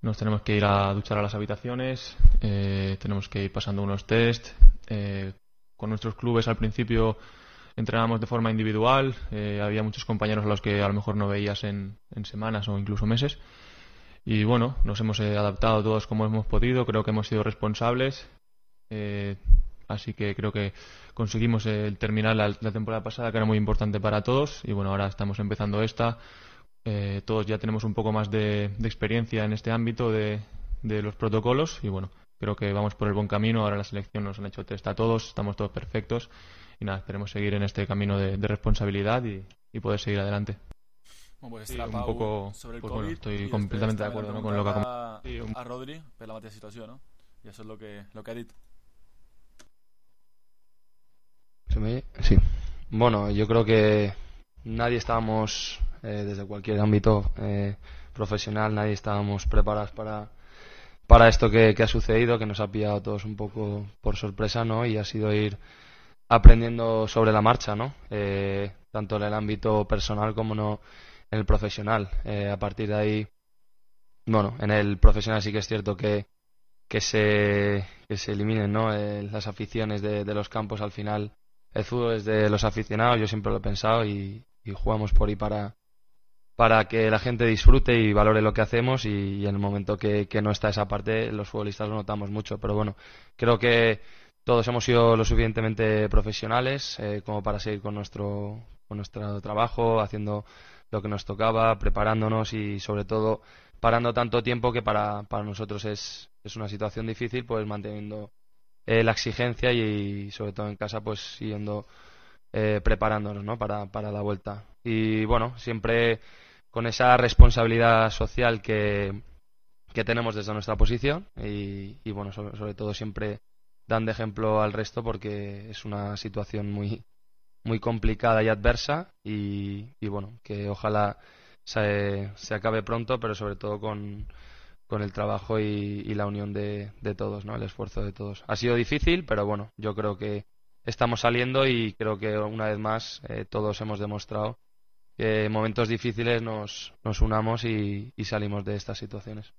Nos tenemos que ir a duchar a las habitaciones, tenemos que ir pasando unos test. Con nuestros clubes al principio entrenábamos de forma individual, había muchos compañeros a los que a lo mejor no veías en semanas o incluso meses. Y bueno, nos hemos adaptado todos como hemos podido, creo que hemos sido responsables, así que creo que conseguimos terminar la temporada pasada, que era muy importante para todos, y bueno, ahora estamos empezando esta. Todos ya tenemos un poco más de experiencia en este ámbito de los protocolos, y bueno, creo que vamos por el buen camino. Ahora en la selección nos han hecho test a todos, estamos todos perfectos, y nada, esperemos seguir en este camino de responsabilidad y poder seguir adelante.
Bueno, pues
sí, un poco,
sobre el
pues
COVID,
bueno, estoy completamente de acuerdo, ¿no?, con lo que ha
a Rodri per la mateixa situació, ¿no? Y eso es lo que ha dit.
Sí. Bueno, yo creo que nadie estábamos, desde cualquier ámbito profesional, nadie estábamos preparados para esto que ha sucedido, que nos ha pillado a todos un poco por sorpresa, ¿no? Y ha sido ir aprendiendo sobre la marcha, ¿no? Tanto en el ámbito personal como no en el profesional. A partir de ahí, bueno, en el profesional sí que es cierto que se eliminen, ¿no?, las aficiones de los campos. Al final el fútbol es de los aficionados, yo siempre lo he pensado, y jugamos por ahí para que la gente disfrute y valore lo que hacemos, y en el momento que no está esa parte, los futbolistas lo notamos mucho. Pero bueno, creo que todos hemos sido lo suficientemente profesionales como para seguir con nuestro trabajo, haciendo lo que nos tocaba, preparándonos y sobre todo parando tanto tiempo, que para nosotros es una situación difícil, pues manteniendo la exigencia y sobre todo en casa pues siguiendo preparándonos, ¿no?, para la vuelta. Y bueno, siempre con esa responsabilidad social que tenemos desde nuestra posición y bueno, sobre todo siempre dando ejemplo al resto, porque es una situación muy complicada y adversa, y bueno, que ojalá se acabe pronto, pero sobre todo con el trabajo y la unión de todos, ¿no?, el esfuerzo de todos. Ha sido difícil, pero bueno, yo creo que estamos saliendo, y creo que una vez más todos hemos demostrado que en momentos difíciles nos unamos y salimos de estas situaciones.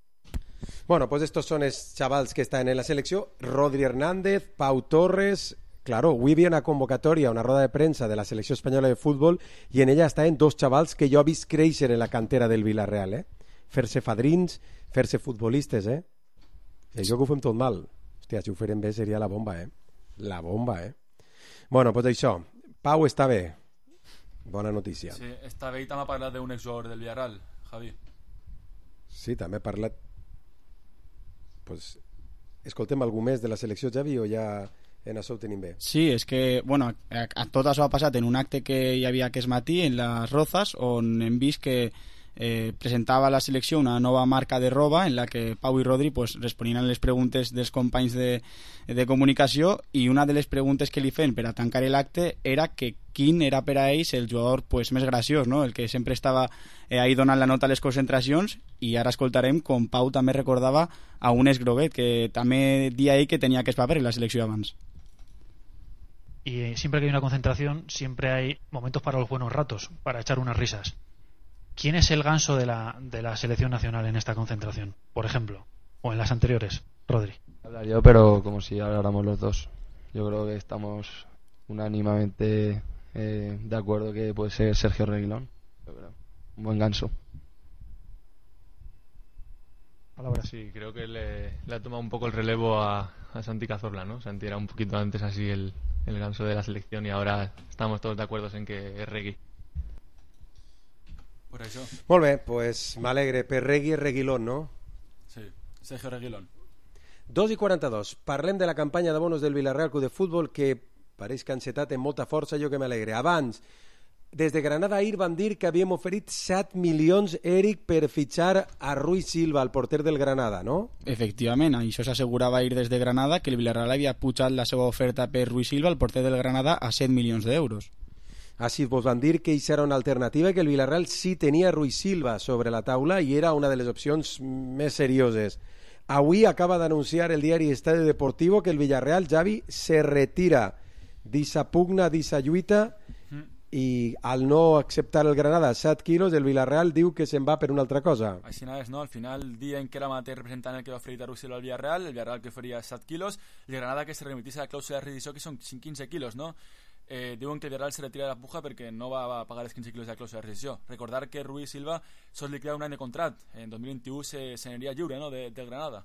Bueno, pues estos son els xavals que estan en la selecció. Rodri Hernández, Pau Torres. Claro, avui hi havia una convocatòria, una roda de premsa de la selecció espanyola de futbol, i en ella estaven dos xavals que jo he vist créixer en la cantera del Villarreal, fer-se fadrins, fer-se futbolistes, jo que ho fem tot mal. Hòstia, si ho farem bé seria la bomba, La bomba, Bueno, pues això, Pau està bé. Bona notícia.
Sí, està bé, i també ha parlat d'un exjugador del Villarreal, Javi.
Sí, també ha parlat. Pues escoltem algú més de la selecció, Javi, o ja en això ho tenim bé?
Sí, és que, bueno, tot això ha passat en un acte que hi havia aquest matí en les Rozas, on hem vist que presentava a la selecció una nova marca de roba en la que Pau i Rodri pues, responien a les preguntes dels companys de comunicació, i una de les preguntes que li feien per a tancar l'acte era que quin era per a ells el jugador pues, més graciós, no? El que sempre estava ahí donant la nota a les concentracions, i ara escoltarem com Pau també recordava a un Groguet, que també dia ell que tenia aquest paper en la selecció abans.
Y siempre que hay una concentración, siempre hay momentos para los buenos ratos, para echar unas risas. ¿Quién es el ganso de la selección nacional en esta concentración, por ejemplo? O en las anteriores, Rodri.
Hablar yo, pero como si habláramos los dos. Yo creo que estamos unánimamente de acuerdo que puede ser Sergio Reguilón. Yo creo. Un buen ganso.
Palabra.
Sí, creo que le ha tomado un poco el relevo a Santi Cazorla, ¿no? Santi era un poquito antes así el ganso de la selección, y ahora estamos todos de acuerdo en que es Regui.
Por això.
Molt bé, pues m'alegre. Per Regui és Reguilón, no?
Sí, Sergio Reguilón.
2:42. Parlem de la campanya de bonos del Villarreal Club de Futbol, que pareix que ha encetat amb molta força, jo que m'alegre. Abans, des de Granada ahir van dir que havíem oferit 7 milions, Eric, per fitxar a Rui Silva, el porter del Granada, no?
Efectivament, això s'assegurava ahir des de Granada, que el Villarreal havia pujat la seva oferta per Rui Silva, el porter del Granada, a 7 milions d'euros.
Així vos van dir que això era una alternativa, que el Villarreal sí tenia Rui Silva sobre la taula i era una de les opcions més serioses. Avui acaba d'anunciar el diari Estadio Deportivo que el Villarreal, Javi, se retira d'issa pugna, d'issa lluita, i al no acceptar el Granada 7 quilos, el Villarreal diu que se'n va per una altra cosa.
Així és, no? Al final, el dia en què era mateix representant el que va oferir a Rui Silva al Villarreal, el Villarreal que oferia 7 quilos, el Granada que se remitís a la clàusula de rescissió, que són 15 quilos, no? Diuen que el Villarreal se retira de la puja perquè no va pagar els 15 quilos de la clàusula de rescissió. Recordar que Rui Silva sols li queda un any de contracte, en 2021 se n'aniria lliure, no?, del Granada.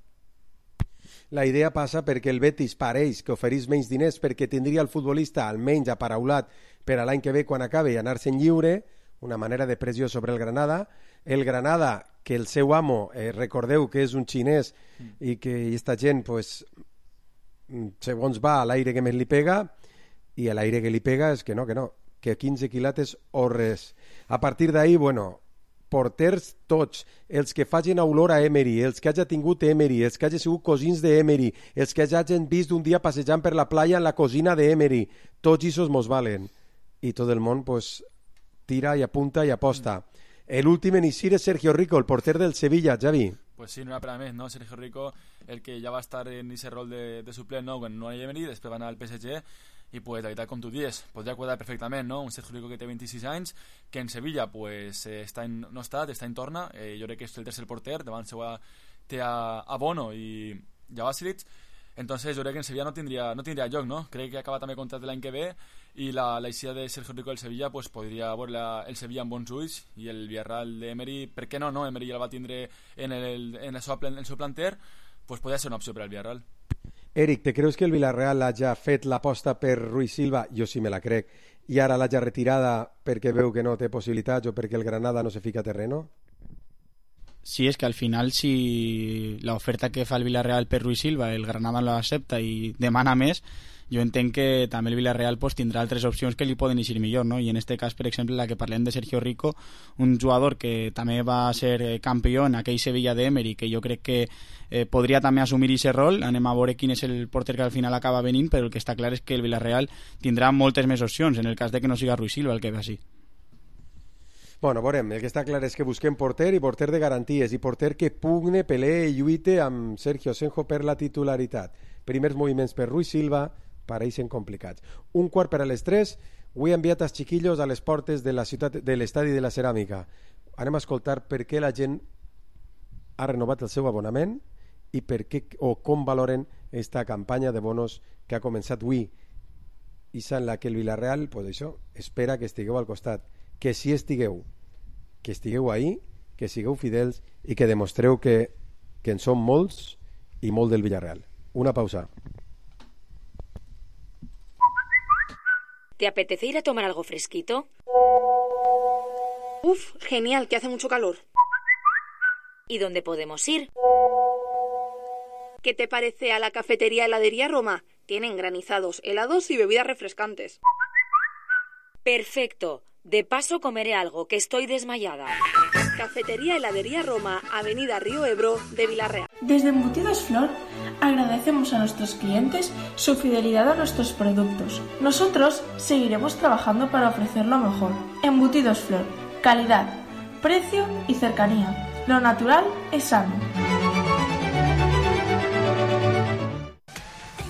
La idea passa perquè el Betis pareix que oferís menys diners perquè tindria el futbolista almenys aparaulat per a l'any que ve quan acabe i anar-se'n lliure, una manera de pressió sobre el Granada. El Granada, que el seu amo, recordeu que és un xinès i que aquesta gent, pues, segons va, a l'aire que més li pega, i a l'aire que li pega és que no, que 15 quilates o res. A partir d'ahir, bueno, porters tots, els que facin olor a Emery, els que hagi tingut Emery, els que hagi sigut cosins d'Emery, els que hagin vist un dia passejant per la playa en la cosina d'Emery, tots aquests mos valen. I tot el món pues, tira i apunta i aposta. L'últim en eixir és Sergio Rico, el porter del Sevilla, Javi.
Pues sí, no era per a més, no? Sergio Rico, el que ja va estar en aquest rol de suplent, no? Quan no hi ha Emery, després va anar al PSG, i pues la veritat, com tu dius, podria quadrar perfectament, no? Un Sergio Rico que té 26 anys, que en Sevilla pues, està en torna, jo crec que és el tercer porter, davant seu té a Bono i a Vasilic. Entonces jo crec que en Sevilla no tindria lloc, no? Crec que acaba també contracte l'any que ve, i l'eixida de Sergio Rico del Sevilla pues, podria veure el Sevilla amb bons ulls, i el Villarreal d'Emery, per què no? Emery ja el va tindre en el seu planter, pues podria ser una opció per al Villarreal.
Eric, te creus que el Villarreal hagi fet l'aposta per Rui Silva? Jo sí me la crec. I ara l'hagi retirada perquè veu que no té possibilitats o perquè el Granada no se fica a terreno?
Sí, és que al final si l'oferta que fa el Villarreal per Rui Silva el Granada no l'accepta i demana més, jo entenc que també el Villarreal pues, tindrà altres opcions que li poden eixir millor, no? I en aquest cas, per exemple, la que parlem de Sergio Rico, un jugador que també va ser campió en aquell Sevilla d'Emery, que jo crec que podria també assumir aquest rol. Anem a veure quin és el porter que al final acaba venint, però el que està clar és que el Villarreal tindrà moltes més opcions en el cas de que no siga Rui Silva el que ve així.
Bueno, veurem, el que està clar és que busquem porter i porter de garanties i porter que pugne, pelee i lluite amb Sergio Senjo per la titularitat. Primers moviments per Rui Silva pareixen complicats. 2:45, avui he enviat els xiquillos a les portes de la ciutat de l'estadi de la Ceràmica. Anem a escoltar per què la gent ha renovat el seu abonament i per què o com valoren esta campanya de bonos que ha començat avui i en la que el Villarreal, pues això, espera que estigueu al costat, que si estigueu, que estigueu ahí, que sigueu fidels i que demostreu que en som molts i molt del Villarreal. Una pausa.
¿Te apetece ir a tomar algo fresquito?
Uf, genial, que hace mucho calor.
¿Y dónde podemos ir?
¿Qué te parece a la cafetería Heladería Roma? Tienen granizados, helados y bebidas refrescantes.
Perfecto. De paso comeré algo, que estoy desmayada.
Cafetería Heladería Roma, Avenida Río Ebro de Villarreal.
Desde Embutidos Flor agradecemos a nuestros clientes su fidelidad a nuestros productos. Nosotros seguiremos trabajando para ofrecer lo mejor. Embutidos Flor, calidad, precio y cercanía. Lo natural es sano.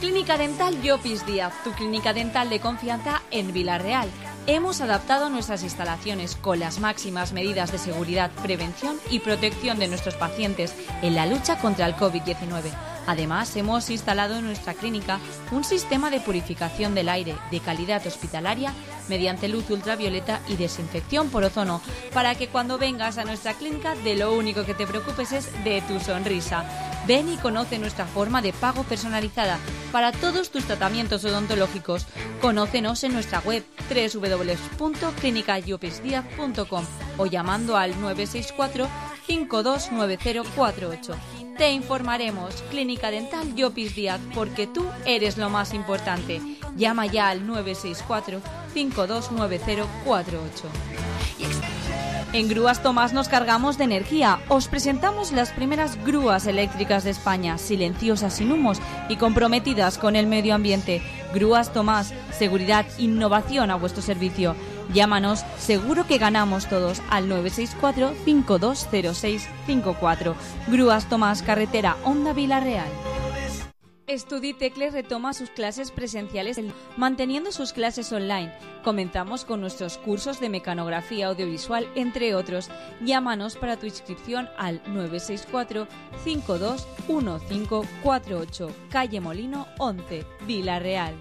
Clínica Dental Llopis Díaz, tu clínica dental de confianza en Villarreal. Hemos adaptado nuestras instalaciones con las máximas medidas de seguridad, prevención y protección de nuestros pacientes en la lucha contra el COVID-19. Además, hemos instalado en nuestra clínica un sistema de purificación del aire de calidad hospitalaria mediante luz ultravioleta y desinfección por ozono, para que cuando vengas a nuestra clínica de lo único que te preocupes es de tu sonrisa. Ven y conoce nuestra forma de pago personalizada para todos tus tratamientos odontológicos. Conócenos en nuestra web www.clinicayupisdiaz.com o llamando al 964 529048. Te informaremos. Clínica Dental Llopis Díaz, porque tú eres lo más importante. Llama ya al 964 529048. En Grúas Tomás nos cargamos de energía. Os presentamos las primeras grúas eléctricas de España, silenciosas, sin humos y comprometidas con el medio ambiente. Grúas Tomás, seguridad, innovación a vuestro servicio. Llámanos, seguro que ganamos todos, al 964 520654. Grúas Tomás, carretera Honda Villarreal. Studitecle retoma sus clases presenciales manteniendo sus clases online. Comenzamos con nuestros cursos de mecanografía audiovisual, entre otros. Llámanos para tu inscripción al 964 521548, calle Molino 11, Villarreal.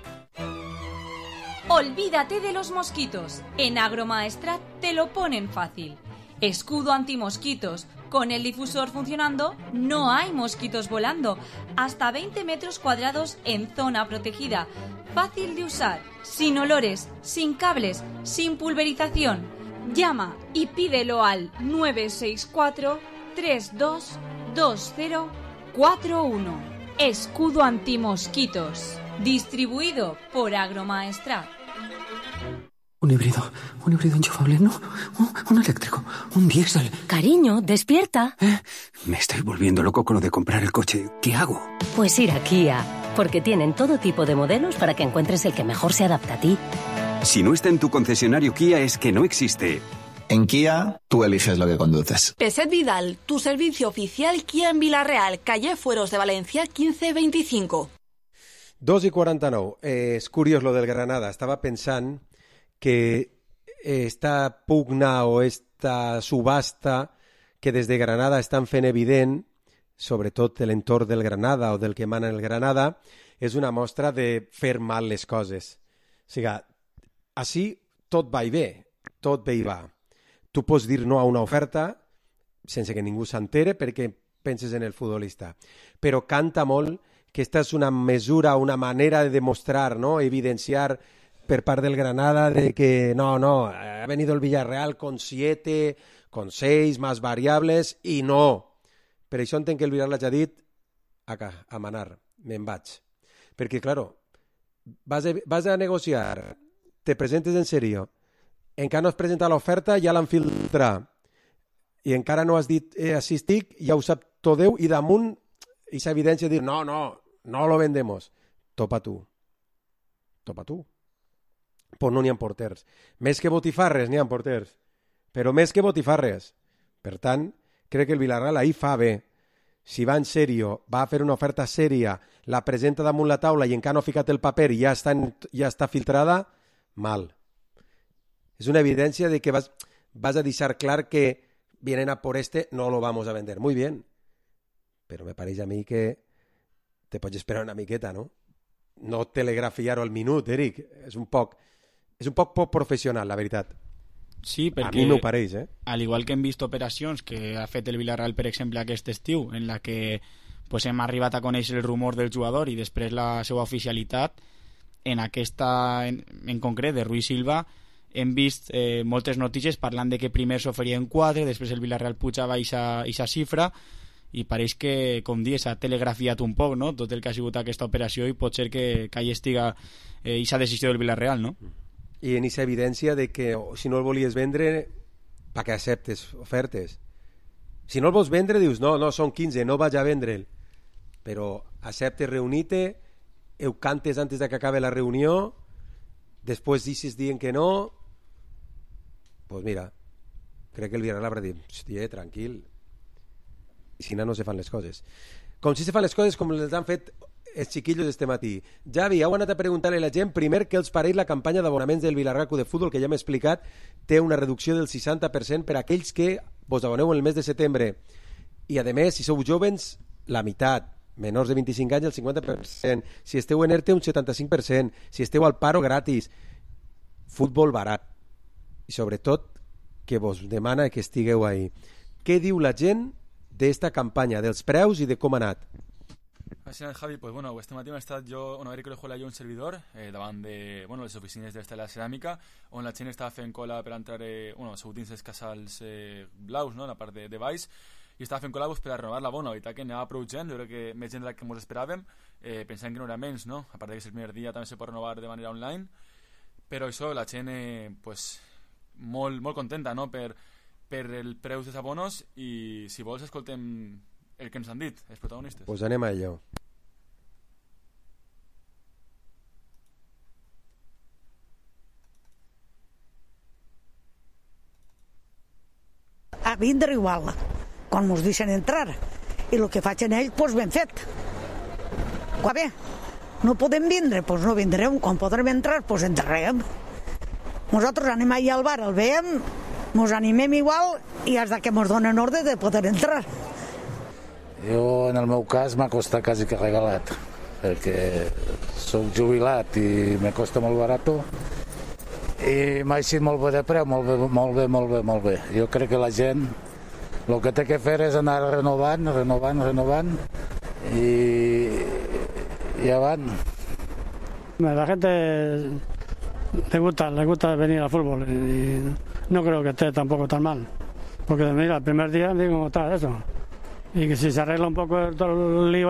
Olvídate de los mosquitos. En Agromaestrat te lo ponen fácil. Escudo antimosquitos. Con el difusor funcionando, no hay mosquitos volando. Hasta 20 metros cuadrados en zona protegida. Fácil de usar, sin olores, sin cables, sin pulverización. Llama y pídelo al 964 322041. Escudo antimosquitos. Distribuido por Agromaestrat.
Un híbrido enchufable, no, un eléctrico, un diésel.
Cariño, despierta.
Me estoy volviendo loco con lo de comprar el coche. ¿Qué hago?
Pues ir a Kia, porque tienen todo tipo de modelos para que encuentres el que mejor se adapta a ti.
Si no está en tu concesionario Kia es que no existe.
En Kia, tú eliges lo que conduces.
Peset Vidal, tu servicio oficial Kia en Villarreal, calle Fueros de Valencia 1525.
2:49. És curiós lo del Granada. Estava pensant que esta pugna o esta subhasta que des de Granada estan fent evident, sobretot l'entorn del Granada o del que mana el Granada, és una mostra de fer mal les coses. O sigui, així tot va i bé, tot bé i va. Tu pots dir no a una oferta sense que ningú s'entere perquè penses en el futbolista, però canta molt que esta és una mesura, una manera de demostrar, ¿no? Evidenciar per part del Granada de que no, ha venido el Villarreal con 7, con 6 más variables i no. Per això entenc que el Villarreal ha dit a manar, me'n vaig. Perquè, claro, vas a negociar, te presentes en serio, encara no has presentat l'oferta, ja l'han filtrat, i encara no has dit així estic, ja ho sap tot Déu, i damunt aquesta evidència de dir no lo vendemos. Topa tu. Pues no n'hi ha porters. Més que botifarres n'hi ha porters. Però més que botifarres. Per tant, crec que el Villarreal ahir fa bé. Si va en sèrio, va a fer una oferta sèria, la presenta damunt la taula i encara no ha ficat el paper i ja està filtrada, mal. És una evidència de que vas a deixar clar que vienen a por no lo vamos a vender. Muy bien. Però me pareix a mi que te pots esperar una miqueta, no? No telegrafiar-ho al minut, Eric. És un poc poc professional, la veritat.
Sí, perquè,
a mi m'ho pareix,
al igual que hem vist operacions que ha fet el Villarreal, per exemple, aquest estiu, en la que pues, hem arribat a conèixer el rumor del jugador i després la seva oficialitat, en aquesta, en concret, de Rui Silva, hem vist moltes notícies parlant de que primer s'oferien 4, després el Villarreal pujava aquesta xifra, i pareix que, com dius, s'ha telegrafiat un poc, no?, tot el que ha sigut aquesta operació, i pot ser que hi estiga aquesta decisió del Villarreal, no?
I en aquesta evidència de que si no el volies vendre, per què acceptes ofertes? Si no el vols vendre, dius, no, són 15, no vaig a vendre'l. Però acceptes reunir-te, ho cantes antes de que acabe la reunió, després dices dient que no, pues mira, crec que el Villarreal haurà dit, hòstia, tranquil, i si no se fan les coses. Com si se fan les coses com les han fet els xiquillos este matí. Javi, heu anat a preguntar-li a la gent primer què els pareix la campanya d'abonaments del Villarreal Club de Futbol, que ja m'he explicat, té una reducció del 60% per a aquells que vos aboneu en el mes de setembre. I a més, si sou jovens, la meitat. Menors de 25 anys, el 50%. Si esteu en ERTE, un 75%. Si esteu al paro, gratis. Futbol barat. I sobretot, que vos demana que estigueu ahí. Què diu la gent d'esta campanya, dels preus i de com ha anat?
Així, Javi, pues bueno, este matí m'he estat jo, a veure que l'he jo un servidor davant de, bueno, les oficines d'esta la ceràmica, on la gent estava fent cola per entrar, bueno, segut dins els casals blaus, no?, la part de baix, i estava fent cola per a renovar la bona. La veritat que anava prou gent, jo crec que més gent de la que ens esperàvem, pensant que no era menys, no?, a part que és el primer dia també se pot renovar de manera online, però això, la gent, pues, molt contenta, no?, per el preu dels abonos, i si vols escoltem el que ens han dit, els protagonistes.
Pues anem a ello.
A vindre igual, quan mos deixen entrar. I el que facin ells, doncs ben fet. Va bé, no podem vindre, doncs no vindrem. Quan podrem entrar, doncs entrarem. Nosaltres anem allà al bar, el veiem, mos animem igual i fins que mos donen ordre de poder entrar.
Jo, en el meu cas, m'ha costat quasi que regalat, perquè soc jubilat i me costa molt barat i m'ha eixit molt bé de preu, molt bé. Jo crec que la gent el que té que fer és anar renovant y avant.
La gente le gusta venir al fútbol y no creo que esté tampoco tan mal, porque mira, el primer día digo cómo está eso, y que si se arregla un poco todo el lío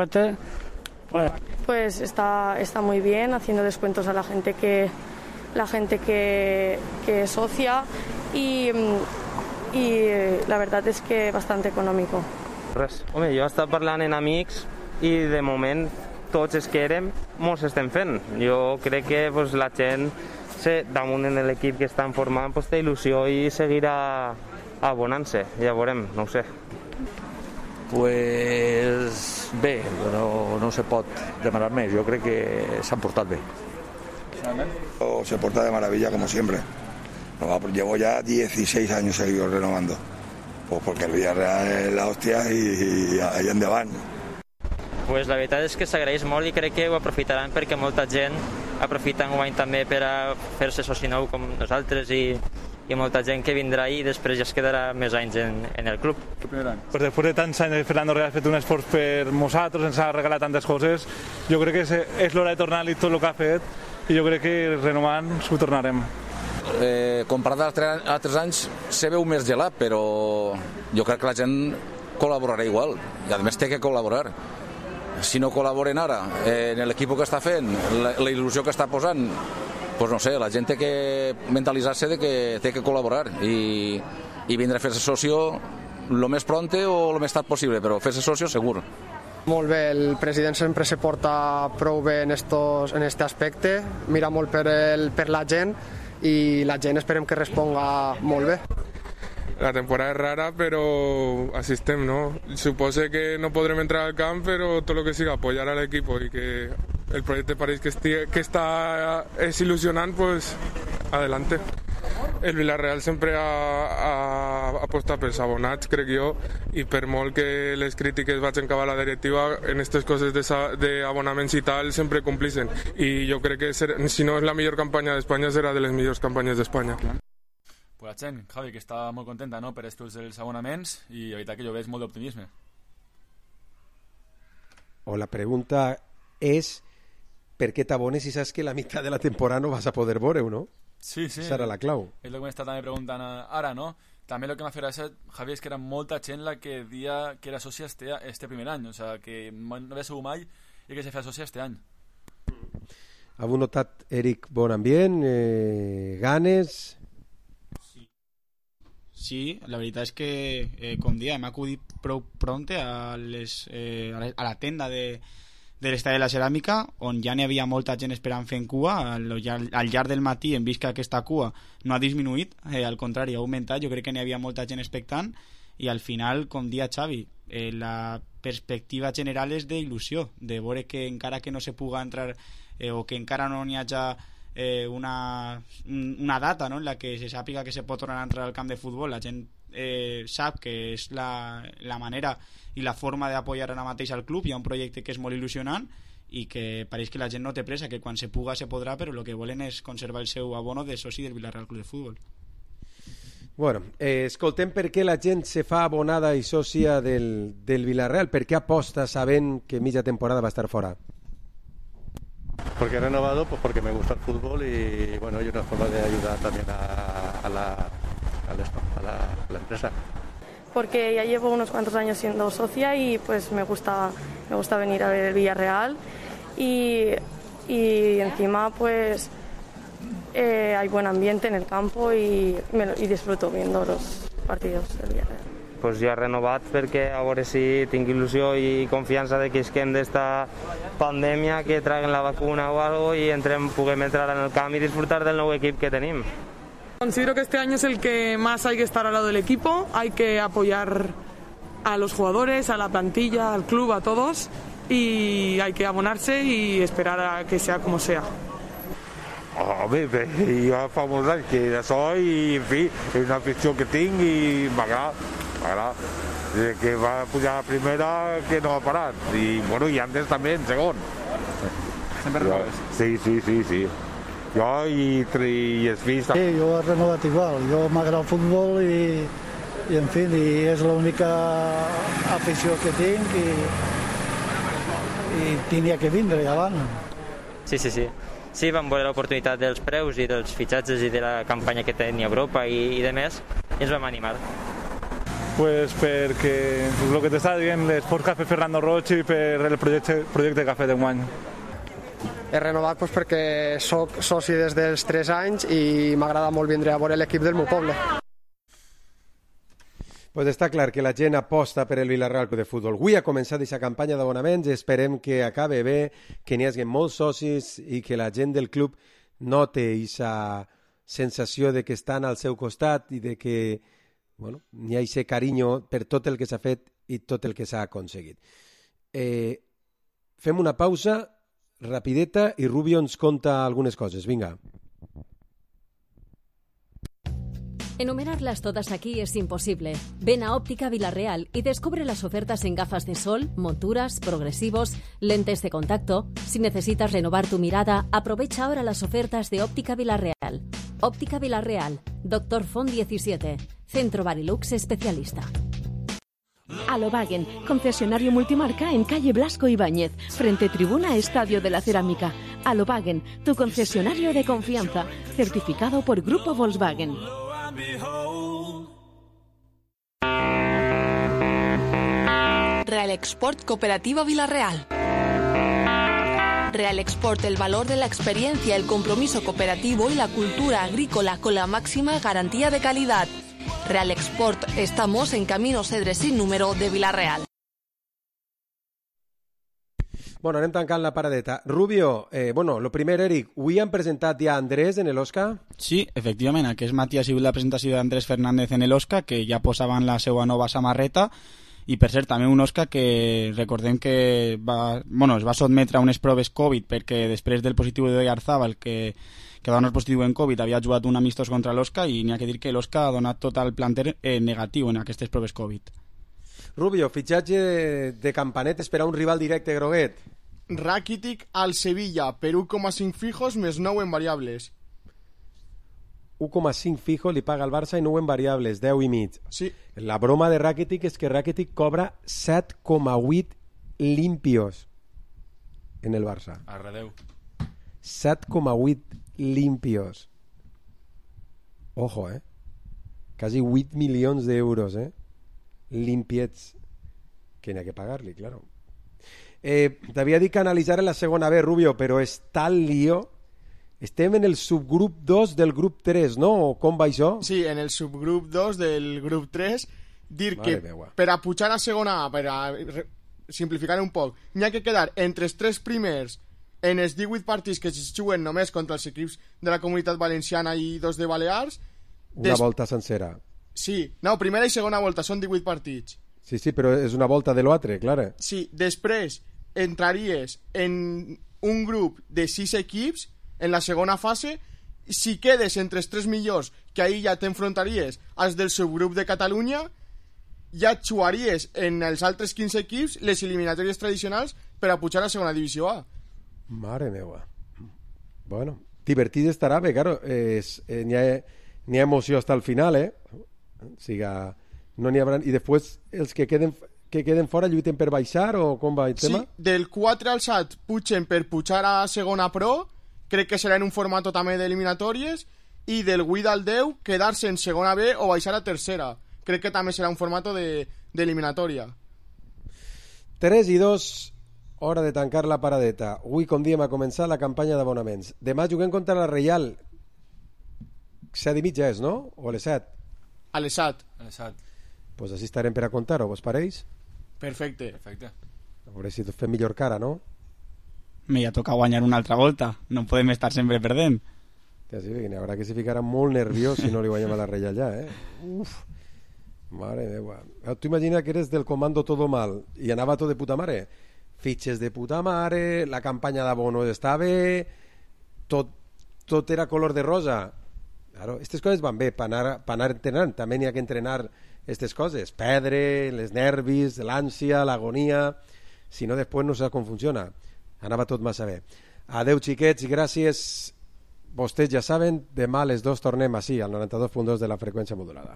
pues está muy bien, haciendo descuentos a la gente que es socia y la verdad es que bastante económico.
Res. Home, jo he estat parlant amb amics i de moment tots els que érem mos estem fent. Jo crec que pues, la gent damunt en l'equip que estan formant pues, té il·lusió i seguirà abonant-se, ja veurem, no ho sé.
Pues bé, no se pot demanar més, jo crec que s'han portat bé.
Se porta de maravilla como siempre. Llevo ya 16 años seguidos renovando, pues porque el Villarreal es la hostia y ahí endavant.
Pues la veritat és que s'agraeix molt i crec que ho aprofitaran perquè molta gent aprofita enguany també per a fer-se soci nou com nosaltres i molta gent que vindrà i després ja es quedarà més anys en el club.
Pues després de tants anys Fernando Real ha fet un esforç per nosaltres, ens ha regalat tantes coses, jo crec que és l'hora de tornar-li tot el que ha fet i jo crec que renovant s'ho tornarem.
Comparat amb altres anys se veu més gelat, però jo crec que la gent col·laborarà igual i a més té que col·laborar. Si no col·laboren ara en l'equip que està fent, la il·lusió que està posant, doncs no sé, la gent té que mentalitzar-se de que té que col·laborar i vindre a fer-se socio el més pront o el més tard possible, però fer-se socio segur.
Molt bé, el president sempre se porta prou bé en este aspecte, mira molt per la gent i la gent esperem que responga molt bé.
La temporada es rara, pero así estem, ¿no? Supose que no podrem entrar al camp, pero todo lo que siga apoyar al equipo y que el proyecto de París que está es ilusionante, pues adelante. El Villarreal sempre ha apostat pels abonats, crec jo, i per molt que les crítiques vagin cap a la directiva, en aquestes coses d'abonaments i tal, sempre complixen. I jo crec que si no és la millor campanya d'Espanya, serà de les millors campanyes d'Espanya.
Pues la gent, Javi, que està molt contenta, no?, per estos dels abonaments i la veritat que jo veig molt d'optimisme.
O la pregunta és per què t'abones si saps que la meitat de la temporada no vas a poder veure-ho, no?
Sí.
Serà la clau.
És el que m'està també preguntant ara, no? També el que m'ha fet gràcia, Javi, és que era molta gent la que dia que era sòcia este primer any, o sea, que no havia sigut mai i que se feia sòcia este any.
Heu notat, Eric, bon ambient, ganes?
Sí, la veritat és que, com dia, hem acudit prou prompte a la tenda de l'Estadi de la Ceràmica, on ja n'hi havia molta gent esperant fent cua. Al llarg del matí hem vist que aquesta cua no ha disminuït, al contrari, ha augmentat. Jo crec que n'hi havia molta gent expectant i al final, com dia Xavi, la perspectiva general és d'il·lusió, de veure que encara que no se puga entrar o que encara no n'hi hagi una data, no?, en la que se sàpiga que se pot tornar a entrar al camp de futbol, la gent sap que és la manera i la forma d'apoyar ara mateix al club. Hi ha un projecte que és molt il·lusionant i que pareix que la gent no té pressa, que quan se puga se podrà, però el que volen és conservar el seu abono de soci del Villarreal Club de Futbol.
Bueno, escoltem per què la gent se fa abonada i sòcia del Villarreal. Per què aposta sabent que mitja temporada va estar fora?
Porque he renovado, pues porque me gusta el fútbol y bueno, hay una forma de ayudar también a la empresa.
Porque ya llevo unos cuantos años siendo socia y pues me gusta venir a ver el Villarreal y encima pues hay buen ambiente en el campo y disfruto viendo los partidos del Villarreal.
Pues ja he renovat perquè a veure si tinc il·lusió i confiança de que isquem d'esta pandèmia, que traguen la vacuna o algo y puguem entrar en el camp y disfrutar del nou equip que tenim.
Considero que este año es el que más hay que estar al lado del equipo, hay que apoyar a los jugadores, a la plantilla, al club, a todos, y hay que abonarse y esperar a que sea como sea.
Home, bé, jo fa molts anys que d'això i, en fi, és una afició que tinc i m'agrada. Des que va pujar a primera que no ha parat. I, bueno, i antes també en segon.
Sempre renoves?
Sí. Jo i els fills...
Sí, jo he renovat igual. Jo m'agrada el futbol i en fi, és l'única afició que tinc i tenia que vindre abans.
Sí. Sí, vam veure l'oportunitat dels preus i dels fitxatges i de la campanya que tenia Europa i de més, i ens vam animar.
Pues perquè el que t'estava dient, l'Esport Cafè Fernando Roig i per el projecte Cafè d'enguany.
He renovat pues, perquè soc soci des dels 3 anys i m'agrada molt vindre a veure l'equip del meu poble.
Pues està clar que la gent aposta per el Villarreal Club de Futbol. Avui ha començat aquesta campanya d'abonaments, esperem que acabe bé, que n'hi hagi molts socis i que la gent del club note aquesta sensació de que estan al seu costat i de que n'hi ha aquest carinyo per tot el que s'ha fet i tot el que s'ha aconseguit. Fem una pausa rapideta i Rubio ens conta algunes coses. Vinga.
Enumerarlas todas aquí es imposible. Ven a Óptica Villarreal y descubre las ofertas en gafas de sol, monturas, progresivos, lentes de contacto. Si necesitas renovar tu mirada, aprovecha ahora las ofertas de Óptica Villarreal. Óptica Villarreal, Dr. Font 17, Centro Barilux especialista.
Alobagen, concesionario multimarca en calle Blasco Ibáñez, frente tribuna Estadio de la Cerámica. Alobagen, tu concesionario de confianza, certificado por Grupo Volkswagen.
Real Export Cooperativa Villarreal. Real Export, el valor de la experiencia, el compromiso cooperativo y la cultura agrícola con la máxima garantía de calidad. Real Export, estamos en Camino Cedre sin número de Villarreal.
Bueno, anem tancant la paradeta. Rubio, lo primer, Eric, avui han presentat ja Andrés en l'Osca?
Sí, efectivament, aquest matí ha sigut la presentació d'Andrés Fernández en l'Osca, que ja posaven la seva nova samarreta, i per cert, també un Osca que recordem que es va sotmetre a unes proves Covid perquè després del positiu d'Oyarzabal, que va donar positiu en Covid, havia jugat un amistós contra l'Osca i n'hi ha que dir que l'Osca ha donat tot el planter negatiu en aquestes proves Covid.
Rubio, fitxatge de Campanet, esperar un rival directe groguet.
Rakitic al Sevilla per 1,5 fijos més 9 en variables.
1,5 fijo li paga el Barça i 9 en variables, 10,5.
Sí.
La broma de Rakitic és que Rakitic cobra 7,8 limpios en el Barça.
Arredeu.
7,8 limpios. Ojo, Quasi 8 milions d'euros, limpiets. Que n'hi ha que pagar-li, claro. T'havia dit que analitzar la segona B, Rubio, però és tal lío. Estem en el subgrup 2 del grup 3, no? O com va això?
Sí, en el subgrup 2 del grup 3. Dir que per a pujar a segona A, per a simplificar un poc, n'hi ha que quedar entre els 3 primers en els 18 partits que es juguen només contra els equips de la Comunitat Valenciana i 2 de Balears.
Una volta sencera.
Sí, no, primera i segona volta, són 18 partits.
Sí, però és una volta de l'altre, clar.
Sí, després entraries en un grup de 6 equips en la segona fase. Si quedes entre els 3 millors, que ahir ja t'enfrontaries als del subgrup de Catalunya, ja jugaries en els altres 15 equips les eliminatòries tradicionals per a pujar a segona divisió A.
Mare meva. Bueno, divertit estarà, bé, claro, n'hi ha emoció hasta el final, O siga, no n'hi haurà... I després els que queden fora lluiten per baixar o com va el tema?
Sí, del 4 al 7 pugen per pujar a segona pro, crec que serà en un format també d'eliminatòries, i del 8 al 10 quedar-se en segona B o baixar a tercera. Crec que també serà un format d'eliminatòria.
3-2, hora de tancar la paradeta. Avui, com diem, ha començat la campanya d'abonaments. Demà juguem contra la Reial. 7:30 és, no? O a les 7?
A les 7.
Pues així estarem per a contar-ho, vos pareix?
Perfecte.
A veure si fem millor cara, no?
Me ja toca guanyar una altra volta. No podem estar sempre perdent.
Sí, n'hi haurà que se ficarà molt nerviós si no li guanyem a la Reial ja, Uf, mare meva. Tu imagina que eres del comando todo mal i anava tot de puta mare. Fitxes de puta mare, la campanya d'abono està bé, tot era color de rosa. Claro, aquestes coses van bé per anar entrenant. També n'hi ha que entrenar aquestes coses. Perdre, les nervis, l'ànsia, l'agonia. Si no, després no sap com funciona. Anava tot massa bé. Adeu, xiquets, i gràcies. Vostès ja saben, demà a les 2 tornem així, al 92.2 de la freqüència modulada.